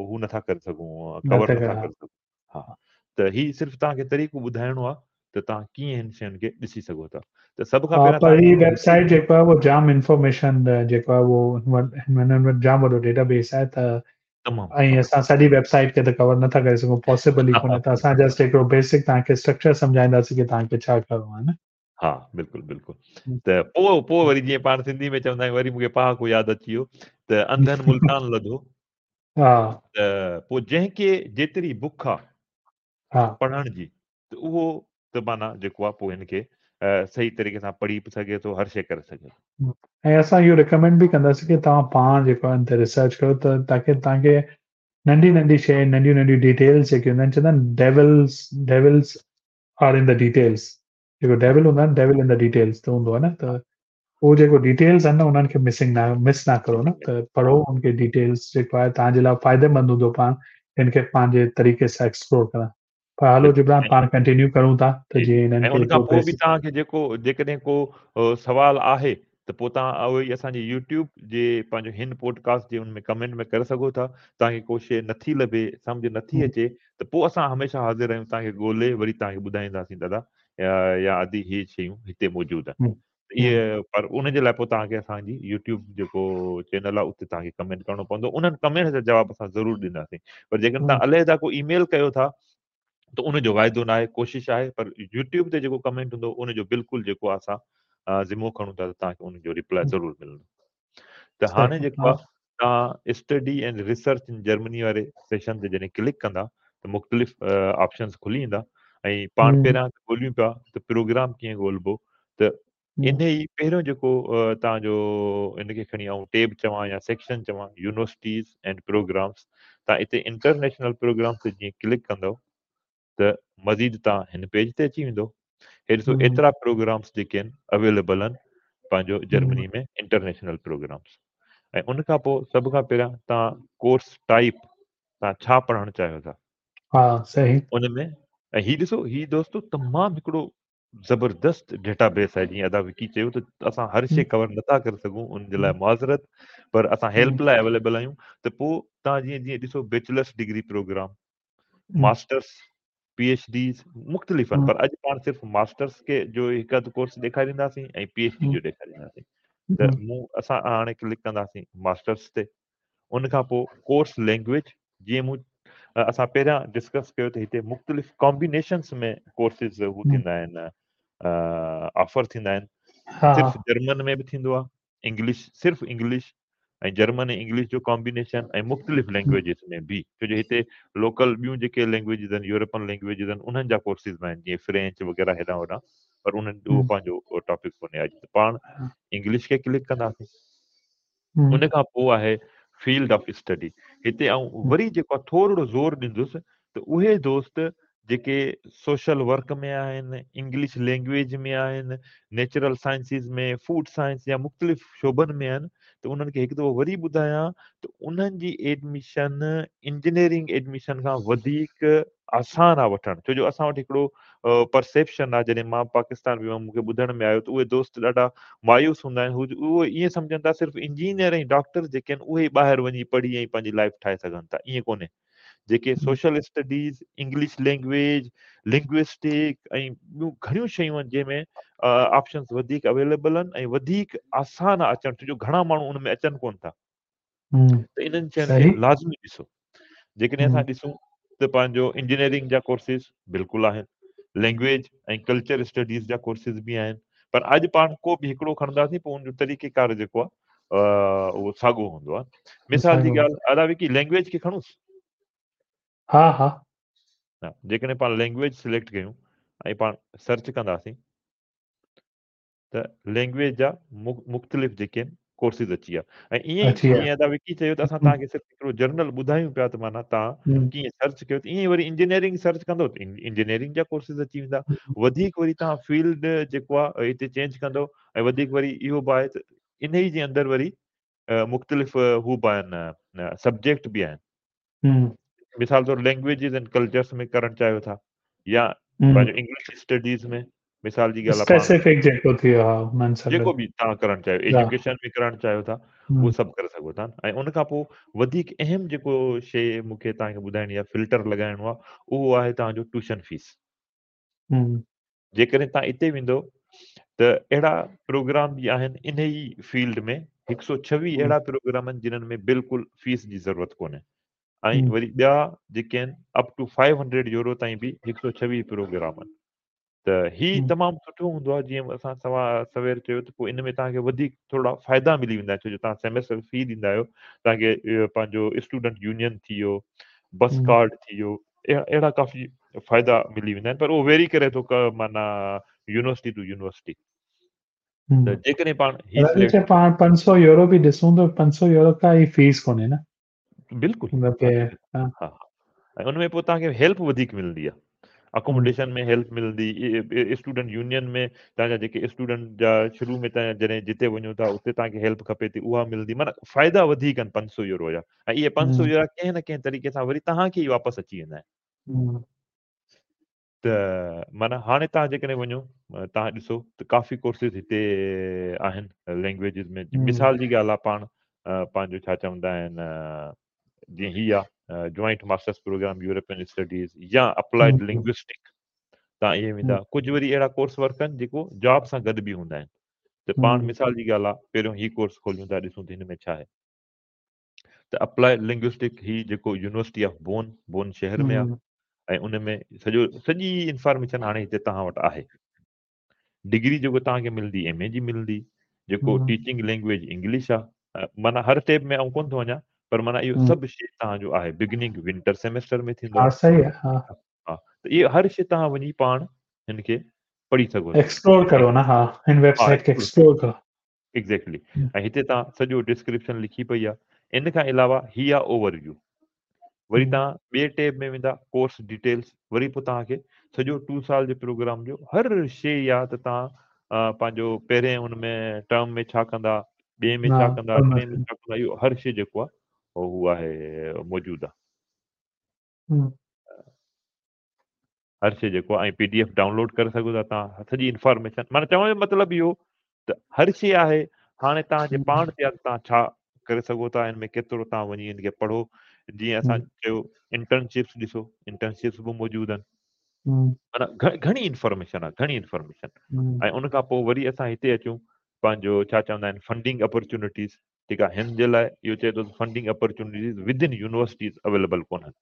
हू नथा करे सघूं, कवर नथा करे सघूं। हा, त ही सिर्फ़ु तव्हांखे तरीक़ो ॿुधाइणो आहे त तव्हां कीअं हिन शयुनि खे ॾिसी सघो था। त सभ खां पहिरियां पर ही वेबसाइट जेको आहे उहो जाम इंफॉर्मेशन जेको आहे उहो हुननि वटि जाम वॾो डेटाबेस आहे त तमामु ऐं असां सॼी वेबसाइट खे त कवर नथा करे सघूं, पॉसिबल ई कोन्हे। त असां जस्ट हिकिड़ो बेसिक तव्हांखे स्ट्रक्चर सम्झाईंदासीं की तव्हांखे छा करिणो आहे न। हा, बिल्कुलु बिल्कुलु। त पोइ पोइ वरी जीअं पाण सिंधी में चवंदा आहियूं, वरी मूंखे पहाको यादि अची वियो त अंधनि मुल्तान लधो। हा, त पोइ जंहिंखे जेतिरी बुख आहे पढ़ण जी, त उहो त माना जेको आहे पोइ हिनखे सही तरीक़े सां पढ़ी बि सघे थो, हर शइ करे सघे थो। ऐं असां इहो रिकमेंड बि कंदासीं की तव्हां पाण जेको आहे हिन ते रिसर्च कयो त ताकी तव्हांखे नंढी नंढी शइ, नंढियूं नंढियूं डिटेल्स जेकी हूंदा आहिनि, चवंदा आहिनि devils are in the details. जेको डेविल हूंदो आहे न, डेविल इन the details त हूंदो आहे न, त उहो जेको डिटेल्स आहिनि न, उन्हनि खे मिसिंग न मिस न करो न, त पढ़ो उनखे डिटेल्स जेको आहे तव्हांजे लाइ फ़ाइदेमंद हूंदो पाण हिनखे पंहिंजे तरीक़े सां एक्सप्लोर करणु। पर हलो जिब्रान, पाण कंटिन्यू करूं था त जीअं हिननि ऐं खे उन खां हिकिड़ो पोइ बि बेसिक तव्हांखे जेको जेकॾहिं को सवाल आहे त पोइ तव्हां उहो ई असांजे यूट्यूब जे पंहिंजो हिन पॉडकास्ट जे हुन में कमेंट में करे सघो था। तव्हांखे को शइ नथी लभे, सम्झ नथी अचे, त पोइ असां हमेशह हाज़िर आहियूं, तव्हांखे ॻोल्हे वरी तव्हांखे ॿुधाईंदासीं दादा या आदि ही शयूं हिते मौजूदु आहिनि। इहे पर उन जे लाइ पोइ तव्हांखे असांजी यूट्यूब जेको चैनल आहे उते तव्हांखे कमेंट करिणो पवंदो। उन्हनि कमेंट जा जवाबु असां ज़रूरु ॾींदासीं। पर जेकॾहिं तव्हां अलहिदा को ईमेल कयो था त उनजो वाइदो न आहे, कोशिशि आहे, पर यूट्यूब ते जेको कमेंट हूंदो उनजो बिल्कुलु जेको आहे असां ज़िमो खणूं था त तव्हांखे उनजो रिप्लाई ज़रूरु मिलंदो। त हाणे जेको आहे तव्हां study and research in Germany वारे सेशन ते जॾहिं क्लिक कंदा त मुख़्तलिफ़ ऑप्शंस खुली ईंदा ऐं पाण पहिरियां ॻोल्हियूं पिया त प्रोग्राम कीअं ॻोल्हिबो। त इन ई पहिरियों जेको तव्हांजो हिनखे खणी आउं टैब चवां या सेक्शन चवां, यूनिवर्सिटीज़ एंड प्रोग्राम्स, तव्हां हिते इंटरनेशनल प्रोग्राम्स ते जीअं क्लिक कंदव त मज़ीद तव्हां हिन पेज ते अची वेंदो। हे ॾिसो, एतिरा प्रोग्राम्स जेके आहिनि अवेलेबल आहिनि पंहिंजो जर्मनी में इंटरनेशनल प्रोग्राम्स। ऐं उन खां पोइ सभ खां पहिरियां तव्हां कोर्स टाइप, तव्हां छा पढ़णु चाहियो था, हा, सही। उन में। ऐं ही ॾिसो, ही दोस्तो तमामु हिकिड़ो ज़बरदस्त डेटाबेस आहे। जीअं अदा विकी चयो त असां हर शइ कवर नथा करे सघूं, उन जे लाइ माज़रत, पर असां हेल्प लाइ अवेलेबल आहियूं। त पोइ तव्हां जीअं जीअं ॾिसो, bachelors degree programme, masters, PhDs मुख़्तलिफ़ आहिनि, पर अॼु पाण सिर्फ़ु मास्टर्स खे जो हिकु अधु कोर्स ॾेखारींदासीं ऐं पीएचडी जो ॾेखारींदासीं। त मूं असां हाणे क्लिक कंदासीं मास्टर्स ते। उन खां पोइ कोर्स लैंग्वेज, जीअं मूं असां पहिरियां डिस्कस कयो त हिते मुख़्तलिफ़ कॉम्बिनेशंस में कोर्सिस हू थींदा आहिनि, ऑफ़र थींदा आहिनि। सिर्फ़ु जर्मन में बि थींदो आहे, इंग्लिश, सिर्फ़ु इंग्लिश ऐं जर्मन ऐं इंग्लिश जो कॉम्बिनेशन ऐं मुख़्तलिफ़ लैंग्वेजिस में बि, छो जो हिते लोकल ॿियूं जेके लैंग्वेजिस आहिनि, यूरोपियन लैंग्वेजिस आहिनि, उन्हनि जा कोर्सिस बि आहिनि, जीअं फ्रेंच वग़ैरह हेॾां होॾां, पर उन्हनि उहो पंहिंजो टॉपिक कोन्हे। अॼु त पाण इंग्लिश खे क्लिक कंदासीं। उन खां पोइ आहे फील्ड ऑफ स्टडी। हिते आउं वरी जेको आहे थोरो ज़ोर ॾींदुसि त उहे दोस्त जेके सोशल वर्क में आहिनि, इंग्लिश लैंग्वेज में आहिनि, नेचुरल साइंसिस में, फूड साइंस या मुख़्तलिफ़ शोबनि में आहिनि, त त उन्हनि खे हिकु दफ़ो वरी ॿुधायां त उन्हनि जी एडमिशन इंजीनियरिंग एडमिशन खां वधीक आसान आहे वठणु, छो जो असां वटि हिकिड़ो परसेप्शन आहे। जॾहिं मां पाकिस्तान वियो हुउमि, मूंखे ॿुधण में आयो त उहे दोस्त ॾाढा मायूस हूंदा आहिनि, हू उहे ईअं सम्झनि था सिर्फ़ु इंजीनियर ऐं डॉक्टर जेके आहिनि उहे ॿाहिरि वञी पढ़ी ऐं पंहिंजी लाइफ ठाहे सघनि था, ईअं कोन्हे। जेके social studies, English language, linguistic ऐं ॿियूं घणियूं शयूं आहिनि जंहिंमें ऑप्शंस वधीक अवेलेबल आहिनि ऐं वधीक आसान आहे अचणु, छो जो घणा माण्हू उन में अचनि कोन था। त इन्हनि शयुनि खे लाज़मी ॾिसो। जेकॾहिं असां ॾिसूं त पंहिंजो इंजीनियरिंग जा कोर्सिस बिल्कुलु आहिनि, लैंग्वेज ऐं कल्चर स्टडीज़ जा कोर्सिस बि आहिनि, पर अॼु पाण को बि हिकिड़ो खणंदासीं पोइ उनजो तरीक़ेकार जेको आहे उहो साॻियो हूंदो आहे। मिसाल जी ॻाल्हि अदा विकी लैंग्वेज खे खणूंसि? हा हा हा, जेकॾहिं पाण लैंग्वेज सिलेक्ट कयूं ऐं पाण सर्च कंदासीं त लैंग्वेज जा मुख़्तलिफ़ जेके आहिनि कोर्सिस अची विया। ऐं ईअं ई जीअं अदा विकी चयो त असां तव्हांखे सिर्फ़ु हिकिड़ो जनरल ॿुधायूं पिया त माना तव्हां कीअं सर्च कयो, त ईअं ई वरी इंजीनियरिंग सर्च कंदो त इंजीनियरिंग जा कोर्सिस अची वेंदा। वधीक वरी तव्हां फील्ड जेको आहे हिते चेंज कंदो ऐं वधीक वरी इहो बि आहे त इन ई जे अंदरि वरी मुख़्तलिफ़ हू बि आहिनि, सब्जेक्ट बि आहिनि। मिसाल तौरु लैंग्वेजिस एंड कल्चर्स में करणु चाहियो था या पंहिंजो इंग्लिश स्टडीज़ में, मिसाल जी ॻाल्हि स्पेसिफिक जेको थी वियो आहे उन्हनि सां जेको बि तव्हां करणु चाहियो, एजुकेशन में करणु चाहियो था उहो सभु करे सघो था। ऐं उनखां पोइ वधीक अहम जेको शइ मूंखे तव्हांखे ॿुधाइणी आहे, फिल्टर लॻाइणो आहे, उहो आहे तव्हांजो ट्यूशन फीस। जेकॾहिं तव्हां हिते वेंदव त अहिड़ा प्रोग्राम बि आहिनि इन ई फील्ड में, 126 अहिड़ा प्रोग्राम आहिनि जिन्हनि में बिल्कुलु फीस जी ज़रूरत कोन्हे, ऐं वरी ॿिया जेके आहिनि अप टू 500 यूरो ताईं बि 126 प्रोग्राम आहिनि। त ही तमामु सुठो हूंदो आहे, जीअं असां सवा सवेर चयो त पोइ इन में तव्हांखे वधीक थोरा फ़ाइदा मिली वेंदा आहिनि, छो जो तव्हां सेमेस्टर फी ॾींदा आहियो, तव्हांखे पंहिंजो स्टूडेंट यूनियन थी वियो, बस कार्ड थी वियो, अहिड़ा काफ़ी फ़ाइदा मिली वेंदा आहिनि, पर उहो वेरी करे थो माना यूनिवर्सिटी टू यूनिवर्सिटी। त जेकॾहिं पाण ही पाण 500 यूरो बि ॾिसूं त 500 यूरो का ई फीस कोन्हे न? बिल्कुलु, हा हा, ऐं उन में पोइ तव्हांखे हेल्प वधीक मिलंदी आहे, अकोमोडेशन में हेल्प मिलंदी, स्टूडेंट यूनियन में तव्हांजा जेके स्टूडेंट जा शुरू में तव्हां जॾहिं जिते वञो था उते तव्हांखे हेल्प खपे थी उहा मिलंदी, माना फ़ाइदा वधीक आहिनि 500 यूरो जा, ऐं इहे 500 यूरो कंहिं न कंहिं तरीक़े सां वरी तव्हांखे ई वापसि अची वेंदा आहिनि। त माना हाणे तव्हां जेकॾहिं वञो तव्हां ॾिसो त काफ़ी कोर्सिस हिते आहिनि लैंग्वेजिस में। मिसाल जी ॻाल्हि आहे पाण पंहिंजो छा चवंदा आहिनि, जीअं हीअ आहे joint masters programme European studies या अप्लाइड लिंग्विस्टिक, तव्हां इहे वेंदा। कुझु वरी अहिड़ा कोर्स वर्क आहिनि जेको जॉब सां गॾु बि हूंदा आहिनि। त पाण मिसाल जी ॻाल्हि आहे पहिरियों हीउ कोर्स खोलियूं था, ॾिसूं त हिन में छा आहे। त अप्लाइड लिंग्विस्टिक ही जेको यूनिवर्सिटी ऑफ बोन, बोन शहर में आहे ऐं उन में सॼो सॼी इंफॉर्मेशन हाणे हिते तव्हां वटि आहे। डिग्री जेको तव्हांखे मिलंदी एम ए जी मिलंदी, जेको टीचिंग लैंग्वेज इंग्लिश आहे, माना हर टेब में आउं कोन थो वञा, पर माना इहो सभु शइ तव्हांजो आहे। बिगिनिंग विंटर सेमेस्टर में थींदो आहे, सही आहे, हा हा, त इहो हर शइ तव्हां वञी पाण हिन खे पढ़ी सघो था, एक्सप्लोर करो न, हा हिन वेबसाइट खे एक्सप्लोर करो। एग्जैक्टली, ऐं हिते तव्हां सॼो डिस्क्रिप्शन लिखी पई आहे। इन खां अलावा हीअ आहे ओवरव्यू, वरी तव्हां ॿिए टैब में वेंदा कोर्स डिटेल्स, वरी पोइ तव्हांखे सॼो 2 साल जे प्रोग्राम जो हर शइ आहे त तव्हां पंहिंजो पहिरें हुन में टर्म में छा कंदा, ॿिए में छा कंदा, टे में छा कंदा, इहो हर शइ जेको आहे उहो आहे मौजूदु आहे। हर शइ जेको आहे, ऐं PDF download करे सघो था तव्हां, सॼी इंफॉर्मेशन। माना चवण जो मतिलबु इहो त हर शइ आहे, हाणे तव्हांजे पाण ते आहे तव्हां छा करे सघो था, हिन में केतिरो तव्हां वञी हिन खे पढ़ो। जीअं असां चयो इंटर्नशिप्स ॾिसो, इंटर्नशिप्स बि मौजूदु आहिनि, माना घणी इंफॉर्मेशन आहे, घणी इंफॉर्मेशन। ऐं उन खां पोइ वरी असां हिते अचूं पंहिंजो छा चवंदा आहिनि फंडिंग अपॉर्चुनिटीज़, ठीकु आहे। हिन जे लाइ इहो चए थो funding opportunities within universities available कोन्हनि,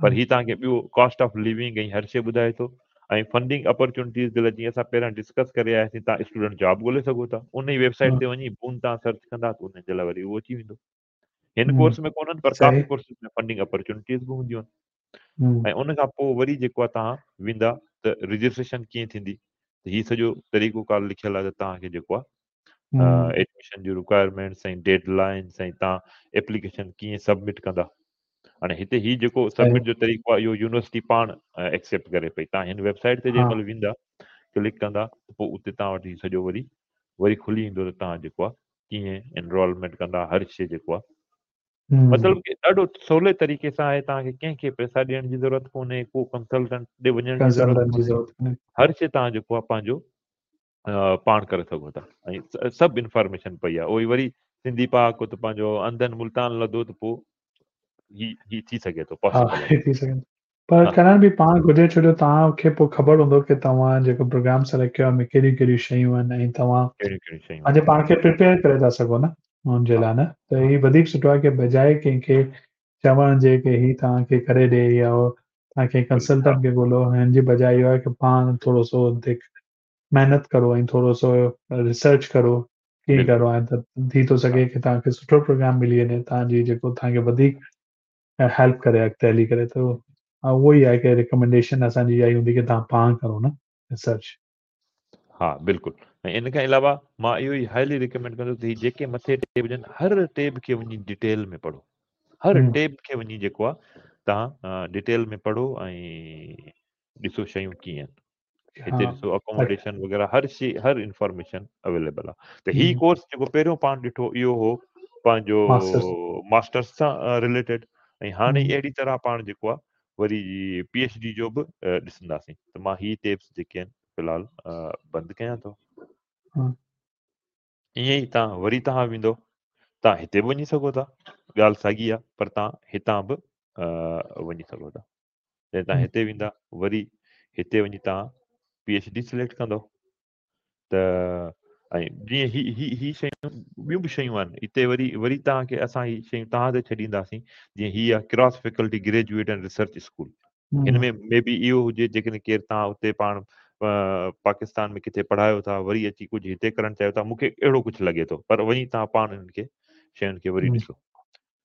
पर हीउ तव्हांखे ॿियो कॉस्ट ऑफ लिविंग ऐं हर शइ ॿुधाए थो। ऐं फंडिंग अपॉर्चुनिटीज़ जे लाइ जीअं असां पहिरियां डिस्कस करे आयासीं, तव्हां स्टूडेंट जॉब ॻोल्हे सघो था, उन ई वेबसाइट ते वञी बून तव्हां सर्च कंदा त उन जे लाइ वरी उहो अची वेंदो। हिन कोर्स में कोन्हनि, पर काफ़ी कोर्सिस में फंडिंग अपॉर्चुनिटीज़ बि हूंदियूं आहिनि। ऐं उन खां पोइ वरी जेको आहे तव्हां वेंदा त रजिस्ट्रेशन कीअं थींदी, त हीउ सॼो तरीक़ो कार लिखियलु आहे त तव्हांखे जेको आहे एडमिशन जी रिक्वायरमेंट्स ऐं डेडलाइन्स ऐं तव्हां एप्लीकेशन कीअं सबमिट कंदा। हाणे हिते हीउ जेको सबमिट जो तरीक़ो आहे इहो यूनिवर्सिटी पाण एक्सेप्ट करे पई। तव्हां हिन वेबसाइट ते जंहिं महिल वेंदा, क्लिक कंदा, त पोइ उते तव्हां वटि सॼो वरी वरी खुली ईंदो त तव्हां जेको आहे ڪيئن انرولمينٽ ڪندا هر شيء جيڪو آهي مطلب ڪي ڏاڍو سولي طريقي سان آهي توهان کي ڪنهن کي پئسا ڏيڻ جي ضرورت ڪونهي ڪو ڪنسلٽنٽ ڏي وڃڻ جي ضرورت ڪونهي هر شيء توهان جيڪو آهي پنهنجو پاڻ ڪري سگهو ٿا ۽ سڀ انفارميشن پئي آهي اهو وري سنڌي پهاڪو ته پنهنجو انڌن ملتان لڌو ته پوء هي هي ٿي سگهي ٿو پاسيبل ٿي سگهي پر ڪرڻ به پاڻ گهرجي ڇو جو توهان کي پوء خبر هوندو ڪي توهان جيڪو پروگرام سليڪٽ ڪيو آهي ۾ ڪهڙيون ڪهڙيون شيون آهن ۽ توهان ڪهڙيون ڪهڙيون شيون پنهنجي پاڻ کي پريپيئر ڪري ٿا سگهو نه ان جي لاء نه ته هي وڌيڪ سٺو آهي ڪي بجاء ڪنهن کي چوڻ جي ڪي هي توهان کي ڪري ڏي يا توهان ڪنهن ڪنسلٽنٽ کي ڳولو هن جي بجاء اهو آهي ڪي پاڻ ٿورو سو ان تي محنت ڪرو ۽ ٿورو سو ريسرچ ڪرو ڪيئن ڪرڻو آهي ته ٿي ٿو سگهي ڪي توهان کي سٺو پروگرام ملي وڃي توهان جي جيڪو توهان کي وڌيڪ هيلپ ڪري اڳتي هلي ڪري ته اهو ئي آهي ڪي ريڪمينڊيشن اسان جي اها ئي هوندي ڪي توهان پاڻ ڪرو نه ريسرچ. ها بلڪل ۽ ان کان علاوه مان اهو ئي هائلي ريڪمينڊ ڪندس ته هي جيڪي مٿي ٽيب هجن هر ٽيب کي وڃي ڊيٽيل ۾ پڙهو هر ٽيب کي وڃي جيڪو آهي توهان ڊيٽيل ۾ پڙهو ۽ ڏسو شيون ڪيئن آهن هتي ڏسو اڪوموڊيشن وغيره هر شي هر انفارميشن اويليبل آهي ته هي ڪورس جيڪو پهريون پاڻ ڏٺو اهو هو پنهنجو ماسٽرس سان رليٽيڊ ۽ هاڻي اهڙي طرح پاڻ جيڪو آهي وري پي ايڇ ڊي جو به ڏسنداسين ته مان هي ٽيبس جيڪي آهن في الحال بند ڪيان ٿو. ائين ئي تان وري تهان ويندو تان هتي به وڃي سگهو ٿا ڳالهه ساڳي آهي پر تان هتان به وڃي سگهو ٿا. جڏهن توهان هتي ويندا وري هتي وڃي توهان پي ايڇ ڊي سليڪٽ ڪندو ته ۽ جيئن هي هي هي شيون ٻيون به شيون آهن هتي وري وري توهان کي اسان هي شيون توهان تي ڇڏينداسين جيئن هي آهي cross faculty graduate and research school هن ۾ مي بي اهو هجي جيڪڏهن ڪير توهان اتي پاڻ پاڪستان ۾ ڪٿي پڙهايو ٿا وري اچي ڪجهه هتي ڪرڻ چاهيو ٿا مونکي اهڙو ڪجهه لڳي ٿو پر وڃي توهان پاڻ هنن کي شين کي وري ڏسو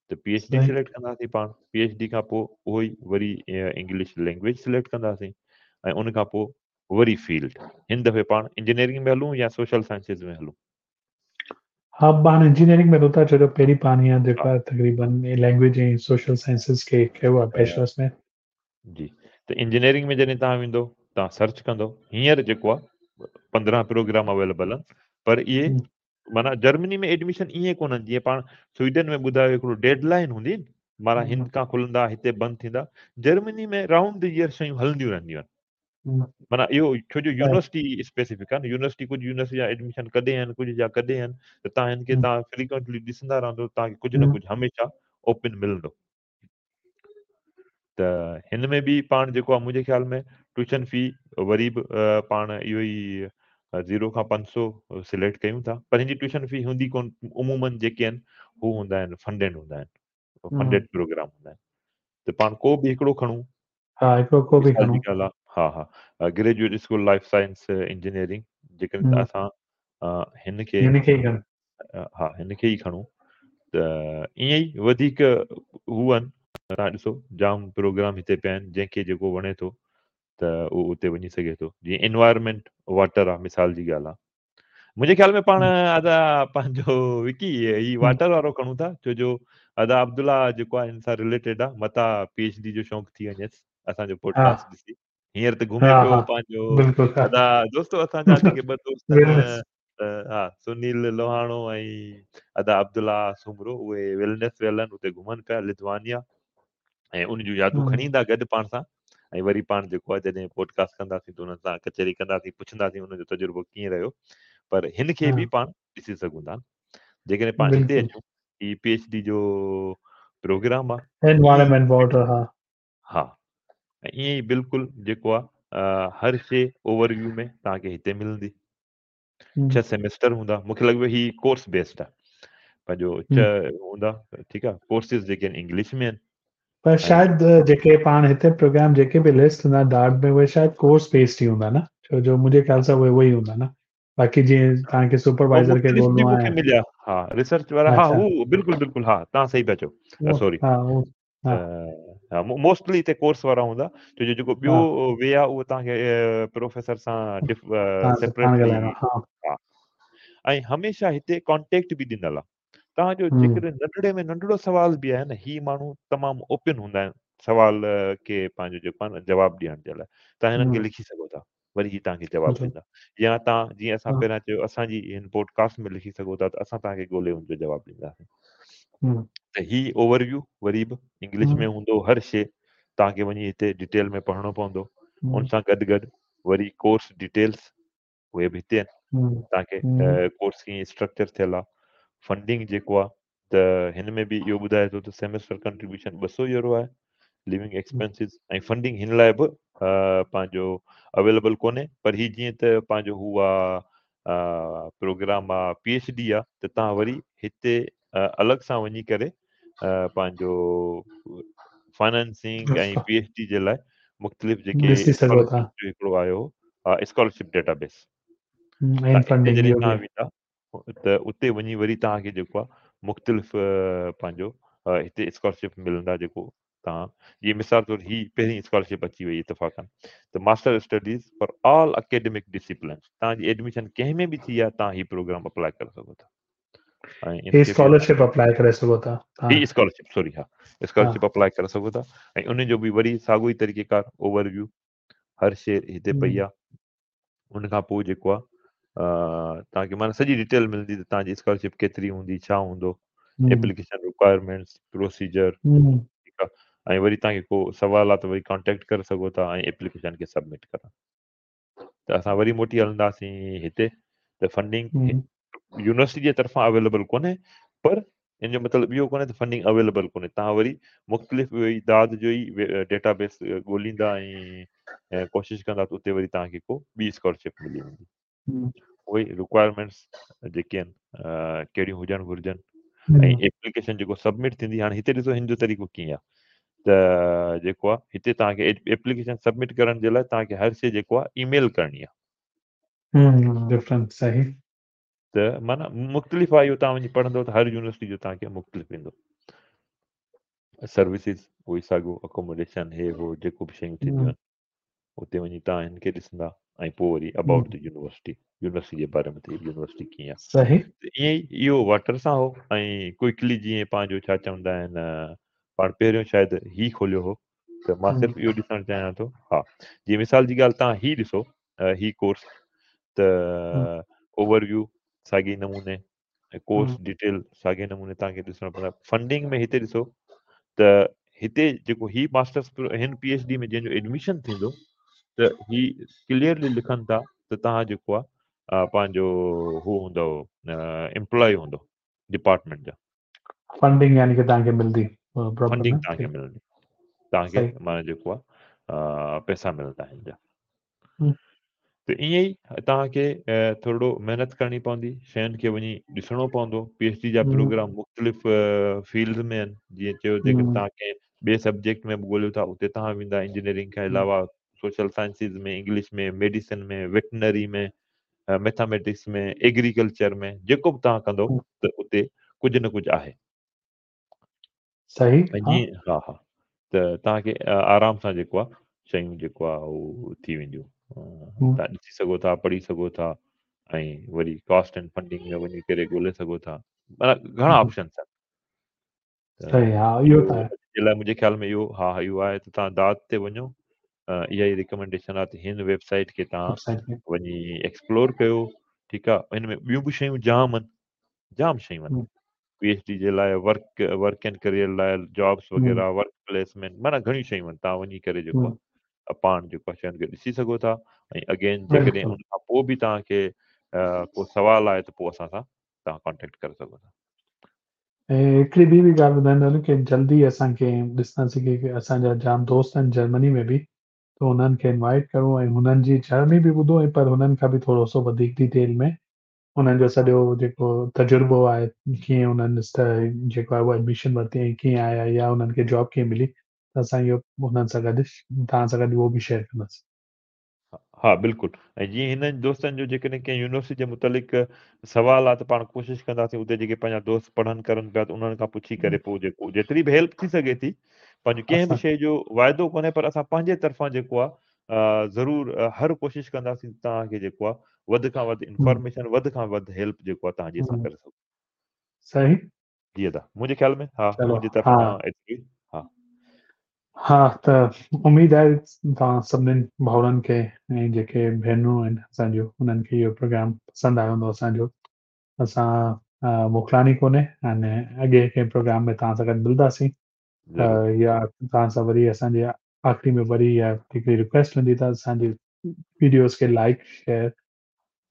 ته پي ايڇ ڊي سليڪٽ ڪنداسين پاڻ پي ايڇ ڊي کان پوء اهو ئي وري انگلش لينگويج سليڪٽ ڪنداسين ۽ ان کان پوء وري فيلڊ هن دفعي پاڻ انجنيئرنگ ۾ هلون يا سوشل سائنسز ۾ هلون؟ ها پاڻ انجنيئرنگ ۾ هلون ٿا ڇو جو پهرين پاڻ هيئن جيڪو آهي تقريبن لينگويج ۽ سوشل سائنسز کي ڪيو آهي بيچلرس ۾. جي ته انجنيئرنگ ۾ جڏهن توهان ويندو توهان سرچ ڪندو هينئر جيڪو آهي 15 پروگرام اويليبل آهن پر اهي معنيٰ جرمني ۾ ايڊميشن ائين ڪونهن جيئن پاڻ سوئيڊن ۾ ٻڌايو هڪڙو ڊيڊ لائن هوندي معنيٰ هن کان کلندا هتي بند ٿيندا جرمني ۾ رائونڊ the year شيون هلنديون رهنديون آهن معنيٰ اهو ڇو جو يونيورسٽي اسپيسيفڪ آهي يونيورسٽي ڪجهه يونيورسٽي جا ايڊميشن ڪڏهن آهن ڪجهه جا ڪڏهن آهن ته تان هن کي تان فريڪوئنٽلي ڏسندا رهندو تان کي ڪجهه نه ڪجهه هميشه اوپن ملندو ته هن ۾ به پاڻ جيڪو آهي منهنجي خيال ۾ ٽيوشن في وري به پاڻ اهو ئي زيرو کان 500 سليڪٽ ڪيون ٿا پر هن جي ٽيوشن في هوندي ڪون عمومن جيڪي آهن هو هوندا آهن فنڊيڊ هوندا آهن فنڊيڊ پروگرام هوندا آهن ته پاڻ ڪو به هڪڙو کڻون ها هڪڙو ڪو به کڻون ها ها graduate school life science engineering جيڪڏهن اسان هن کي هن کي ئي کڻون ها هن کي ئي کڻون ته ائين ئي وڌيڪ هو آهن توهان ڏسو جام پروگرام هتي پيا آهن جنهن کي جيڪو وڻي ٿو ته اهو اتي وڃي سگهي ٿو جيئن انوائرمينٽ واٽر آهي مثال جي ڳالهه آهي منهنجي خيال ۾ پاڻ ادا پنهنجو وڪي هي واٽر وارو کڻون ٿا ڇو جو ادا عبدالله جيڪو آهي هن سان رليٽيڊ آهي متا پي ايڇ ڊي جو شوق ٿي وڃيس اسان جو پوڊڪاسٽ ڏسي هينئر ته گهمي پيو پنهنجو ادا دوستو اسان جا جيڪي ٻه دوست آهن ها سنيل لوهاڻو ۽ ادا عبدالله سومرو اهي ويلنس ويل آهن اتي گهمن پيا لٿوانيا ۽ ان جون يادون کڻي ايندا گڏ پاڻ سان ۽ وري پاڻ جيڪو آهي جڏهن پوڊڪاسٽ ڪنداسين ته انهن سان ڪچهري ڪنداسين پڇنداسين ان جو تجربو ڪيئن رهيو پر هن کي به پاڻ ڏسي سگهون ٿا جيڪڏهن پاڻ هتي اچون هي پي ايڇ ڊي جو پروگرام آهي انوائرمينٽ واٽر ها ها ۽ ائين ئي بلڪل جيڪو آهي هر شي اوور ويو ۾ توهان کي هتي ملندي 6 سيمسٽر هوندا مونکي لڳي پيو هي ڪورس بيسڊ آ پنهنجو 6 هوندا ٺيڪ آ ڪورسز جيڪي آهن انگلش ۾ آهن پر شايد جيڪي پاڻ هتي پروگرام جيڪي به لسٽ هوندا ڊارٽ ۾ اهي شايد ڪورس بيسڊ ئي هوندا نه ڇو جو منهنجي خيال سان اهي اهي ئي هوندا نه باقي جيئن توهان کي سپروائزر کي ڳولڻو آهي مليا ها ريسرچ وارا ها هو بلڪل بلڪل ها توهان صحيح پيا چئو سوري ها ها ها موسٽلي هتي ڪورس وارا هوندا ڇو جو جيڪو ٻيو وي آ اهو توهان کي پروفيسر سان سيپريٽلي ها ۽ هميشه هتي ڪانٽيڪٽ به ڏنل آ توهان جو جيڪڏهن ننڍڙي ۾ ننڍڙو سوال به آهي نه هي ماڻهو تمام اوپن هوندا آهن سوال کي پنهنجو جيڪو آهي نه جواب ڏيڻ جي لاء توهان هنن کي لکي سگهو ٿا. वरी ही तव्हांखे जवाबु बिल्कुलु। ॾींदा। या तव्हां जीअं असां हा। पहिरियां चयो असांजी हिन पॉडकास्ट में लिखी सघो था त असां तव्हांखे ॻोल्हे हुनजो जवाबु ॾींदासीं। हम्म। त ही ओवरव्यू वरी बि इंग्लिश हम्म। में हूंदो, हर शइ तव्हांखे वञी हिते डिटेल में पढ़णो पवंदो। उन हम्म। सां गॾु गॾु वरी कोर्स डिटेल्स उहे बि हिते आहिनि। हम्म। तव्हांखे हम्म। कोर्स कीअं स्ट्रक्चर थियल आहे, फंडिंग जेको आहे त हिन में बि इहो ॿुधाए थो त सेमेस्टर कंट्रीब्यूशन 200 यूरो आहे, लिविंग एक्सपेंसिस ऐं फंडिंग हिन लाइ बि पंहिंजो अवेलेबल कोन्हे, पर ही जीअं त पंहिंजो हू आहे प्रोग्राम आहे पी एच डी आहे त तव्हां वरी हिते अलॻि सां वञी करे पंहिंजो फाइनेंसिंग ऐं पी एच डी जे लाइ मुख़्तलिफ़ जेके ॾिसी सघो था। स्कॉलरशिप जो हिकिड़ो आयो हो स्कॉलरशिप डेटाबेस, ऐं त हिते फंडिंग जॾहिं इहो तव्हां बि। वेंदा त उते वञी वरी तव्हांखे जेको आहे मुख़्तलिफ़ पंहिंजो हिते स्कॉलरशिप मिलंदा जेको तव्हां जीअं मिसाल तौरु ही पहिरीं स्कॉलरशिप अची वई इतफ़ाक़ त master studies for all academic discipline, तव्हांजी एडमिशन कंहिं में बि थी आहे तव्हां ही प्रोग्राम अप्लाई करे सघो था। ऐं ही इनखे बि असां स्कॉलरशिप अप्लाई करे सघो था ही तव्हां। स्कॉलरशिप सॉरी हा हा। स्कॉलरशिप अप्लाई करे सघो था ऐं उन जो बि वरी साॻियो ई तरीक़ेकार ओवरव्यू हर शइ हिते पई हम्म। आहे। उन खां पोइ जेको आहे तव्हांखे माना सॼी डिटेल मिलंदी त तव्हांजी स्कॉलरशिप केतिरी हूंदी, छा हूंदो, हम्म। एप्लीकेशन रिक्वायरमेंट्स, प्रोसीजर, हम्म। ठीकु आहे। ऐं वरी तव्हांखे को सवाल आहे त वरी कॉन्टेक्ट करे सघो था ऐं एप्लीकेशन खे सबमिट करणु। त असां वरी मोटी हलंदासीं हिते त फंडिंग हम्म। यूनिवर्सिटी जे तरफ़ां अवेलेबल कोन्हे, पर इन जो मतिलबु इहो कोन्हे त फंडिंग अवेलेबल कोन्हे। तव्हां वरी मुख़्तलिफ़ इहो ई दाद जो ई डेटाबेस ॻोल्हींदा ऐं कोशिशि कंदा त उते वरी तव्हांखे को ॿी स्कॉलरशिप मिली वेंदी। हम्म। उहे रिक्वायरमेंट्स जेके आहिनि कहिड़ियूं हुजणु घुर्जनि ऐं हम्म। एप्लीकेशन जेको सबमिट थींदी। हाणे हिते ॾिसो हिन जो तरीक़ो कीअं आहे त जेको आहे हिते तव्हांखे एप्लीकेशन सबमिट करण जे लाइ तव्हांखे हर शइ जेको आहे ईमेल करणी आहे। डिफरेंट सही। त माना मुख़्तलिफ़ आहे इहो, तव्हां वञी पढ़ंदव त हर यूनिवर्सिटी जो तव्हांखे मुख़्तलिफ़ ईंदो। सर्विसिस उहो ई साॻियो, अकोमोडेशन हे हो जेको बि शयूं थींदियूं हम्म। आहिनि उते वञी तव्हां हिन खे ॾिसंदा ऐं पोइ वरी about hmm. The university, university जे बारे में त यूनिवर्सिटी कीअं आहे। सही। त ईअं ई इहो वाटर सां हो ऐं क्विकली जीअं पंहिंजो छा चवंदा आहिनि पाण पहिरियों शायदि ही खोलियो हो त मां हम्म। सिर्फ़ु इहो ॾिसणु चाहियां थो। हा, जीअं मिसाल जी ॻाल्हि तव्हां ही ॾिसो ही कोर्स त हम्म। ओवरव्यू साॻी नमूने ऐं कोर्स हम्म। डिटेल साॻे नमूने तव्हांखे ॾिसणो पवंदो। फंडिंग में हिते ॾिसो त हिते जेको ही मास्टर्स हिन पी एच डी में जंहिंजो एडमिशन थींदो त ही क्लियरली लिखनि था त तव्हां जेको आहे पंहिंजो हू हूंदव एम्प्लॉय हूंदो डिपार्टमेंट जा। फंडिंग यानी कि तव्हांखे मिलंदी प्रॉपर फंडिंग न? तव्हांखे ठीक। मिलंदी, तव्हांखे सही। माना जेको आहे पैसा मिलंदा हिन जा। हम्म। त ईअं ई तव्हांखे थोरो महिनत करणी पवंदी, शयुनि खे वञी ॾिसणो पवंदो। पी एच डी जा हम्म। प्रोग्राम मुख़्तलिफ़ फील्ड में आहिनि, जीअं चयो जेकॾहिं हम्म। तव्हां कंहिं ॿिए सब्जेक्ट में बि ॻोल्हियो था उते तव्हां वेंदा, इंजीनियरिंग खां हम्म। अलावा सोशल साइंसिस में, इंग्लिश में, मेडिसिन में, वेटनरी में, मैथमेटिक्स में, एग्रीकल्चर में, जेको बि तव्हां कंदव हम्म। त उते कुझु न कुझु आहे। सही। ऐं हा। जीअं हा हा त तव्हांखे आराम सां जेको आहे शयूं जेको आहे उहो थी वेंदियूं। हम्म। तव्हां ॾिसी सघो था, पढ़ी सघो था ऐं वरी कॉस्ट एंड फंडिंग में वञी करे ॻोल्हे सघो था, माना घणा हम्म। ऑप्शंस आहिनि। त सही, हा इहो त इहो आहे। जे लाइ मुंहिंजे ख़्याल में इहो हा इहो आहे त तव्हां दाद ते वञो, इहा ई रिकमेंडेशन आहे त हिन वेबसाइट खे तव्हां वेबसाइट खे वञी एक्सप्लोर कयो, ठीकु आहे। हिन में ॿियूं बि शयूं जाम आहिनि, जाम शयूं आहिनि हम्म। पी एच डी जे लाइ, वर्क एंड करियर लाइ, जॉब्स हम्म। वग़ैरह, वर्क प्लेसमेंट, माना घणियूं शयूं आहिनि। तव्हां वञी करे जेको हम्म। आहे पाण जेको आहे शयुनि खे ॾिसी सघो था। ऐं अगेन जेकॾहिं बिल्कुलु। उन खां पोइ बि तव्हांखे को सवाल आहे त पोइ असां सां तव्हां कॉन्टेक्ट करे सघो था। ऐं हिकिड़ी ॿी बि ॻाल्हि ॿुधाईंदा हलूं की जल्दी असांखे ॾिसंदासीं की असांजा जाम दोस्त आहिनि जर्मनी में बि, त हुननि खे इनवाइट करूं ऐं हुननि जी जर्नी बि ॿुधो ऐं पर हुननि खां बि थोरो सो वधीक डिटेल में हुननि जो सॼो जेको तजुर्बो आहे, कीअं हुननि जेको आहे उहो एडमिशन वरिती ऐं कीअं आया या हुननि खे जॉब कीअं मिली, त असां इहो हुननि सां गॾु तव्हां सां गॾु उहो बि शेयर कंदासीं। हा बिल्कुलु। ऐं जीअं हिननि दोस्तनि जो जेकॾहिं कंहिं यूनिवर्सिटी जे मुतालिक़ सवाल आहे त पाण कोशिशि कंदासीं उते जेके पंहिंजा दोस्त पढ़नि करनि पिया त उन्हनि खां पुछी करे पोइ जेको जेतिरी बि हेल्प थी सघे थी, पंहिंजो कंहिं बि असां शइ जो वाइदो कोन्हे, पर असां पंहिंजे तरफ़ां जेको आहे ज़रूरु हर कोशिशि कंदासीं तव्हांखे जेको आहे वधि खां वधि हम्म। इन्फॉर्मेशन, वधि खां वधि हेल्प जेको आहे तव्हांजी असां हम्म। करे सघूं। सही। जी अदा, मुंहिंजे ख़्याल में हा चलो मुंहिंजी हा। तरफ़ां एतिरी। हा। हा त उमेद आहे तव्हां सभिनीनि भाउरनि खे ऐं जेके भेनरूं आहिनि असांजूं उन्हनि खे इहो प्रोग्राम पसंदि आयो हूंदो असांजो। असां मोकिलानी कोन्हे ऐं अॻे कंहिं प्रोग्राम में तव्हां सां गॾु मिलंदासीं। या तव्हां सां वरी असांजे आख़िरी में वरी इहा हिकिड़ी रिक्वेस्ट हूंदी त असांजी वीडियोज़ खे लाइक, शेयर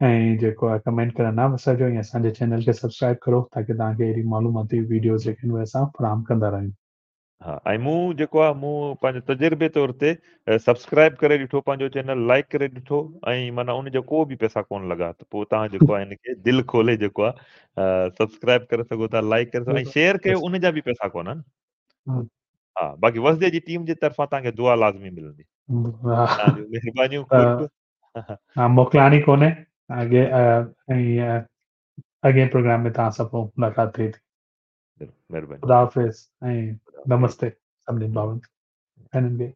ऐं जेको आहे कमेंट करणु न विसारिजो ऐं असांजे चैनल खे सब्सक्राइब करो ताकी तव्हांखे अहिड़ी मालूमाती वीडियोज़ जेके आहिनि उहे असां फराहम कंदा रहियूं। हा ऐं मूं जेको आहे मूं पंहिंजे तजुर्बे तौर ते सब्सक्राइब करे ॾिठो पंहिंजो चैनल, लाइक करे ॾिठो ऐं माना उनजा को बि पैसा कोन लॻा त पोइ तव्हां जेको आहे हिनखे दिलि खोले जेको आहे सब्सक्राइब करे सघो था, लाइक करे सघो ऐं शेयर कयो उनजा बि पैसा कोन्हनि। हा बाक़ी वसदे जी टीम जे तरफ़ां तव्हांखे दुआ लाज़मी मिलंदी। तव्हांजूं महिरबानियूं ख़ुर्ब। हा मोकिलानी कोन्हे अॻे ऐं अॻे प्रोग्राम में तव्हां सां पोइ मुलाक़ात थिए थी। महिरबानी। ख़ुदा हाफ़िज़ ऐं नमस्ते सभिनीनि भाउरनि भेनरनि खे।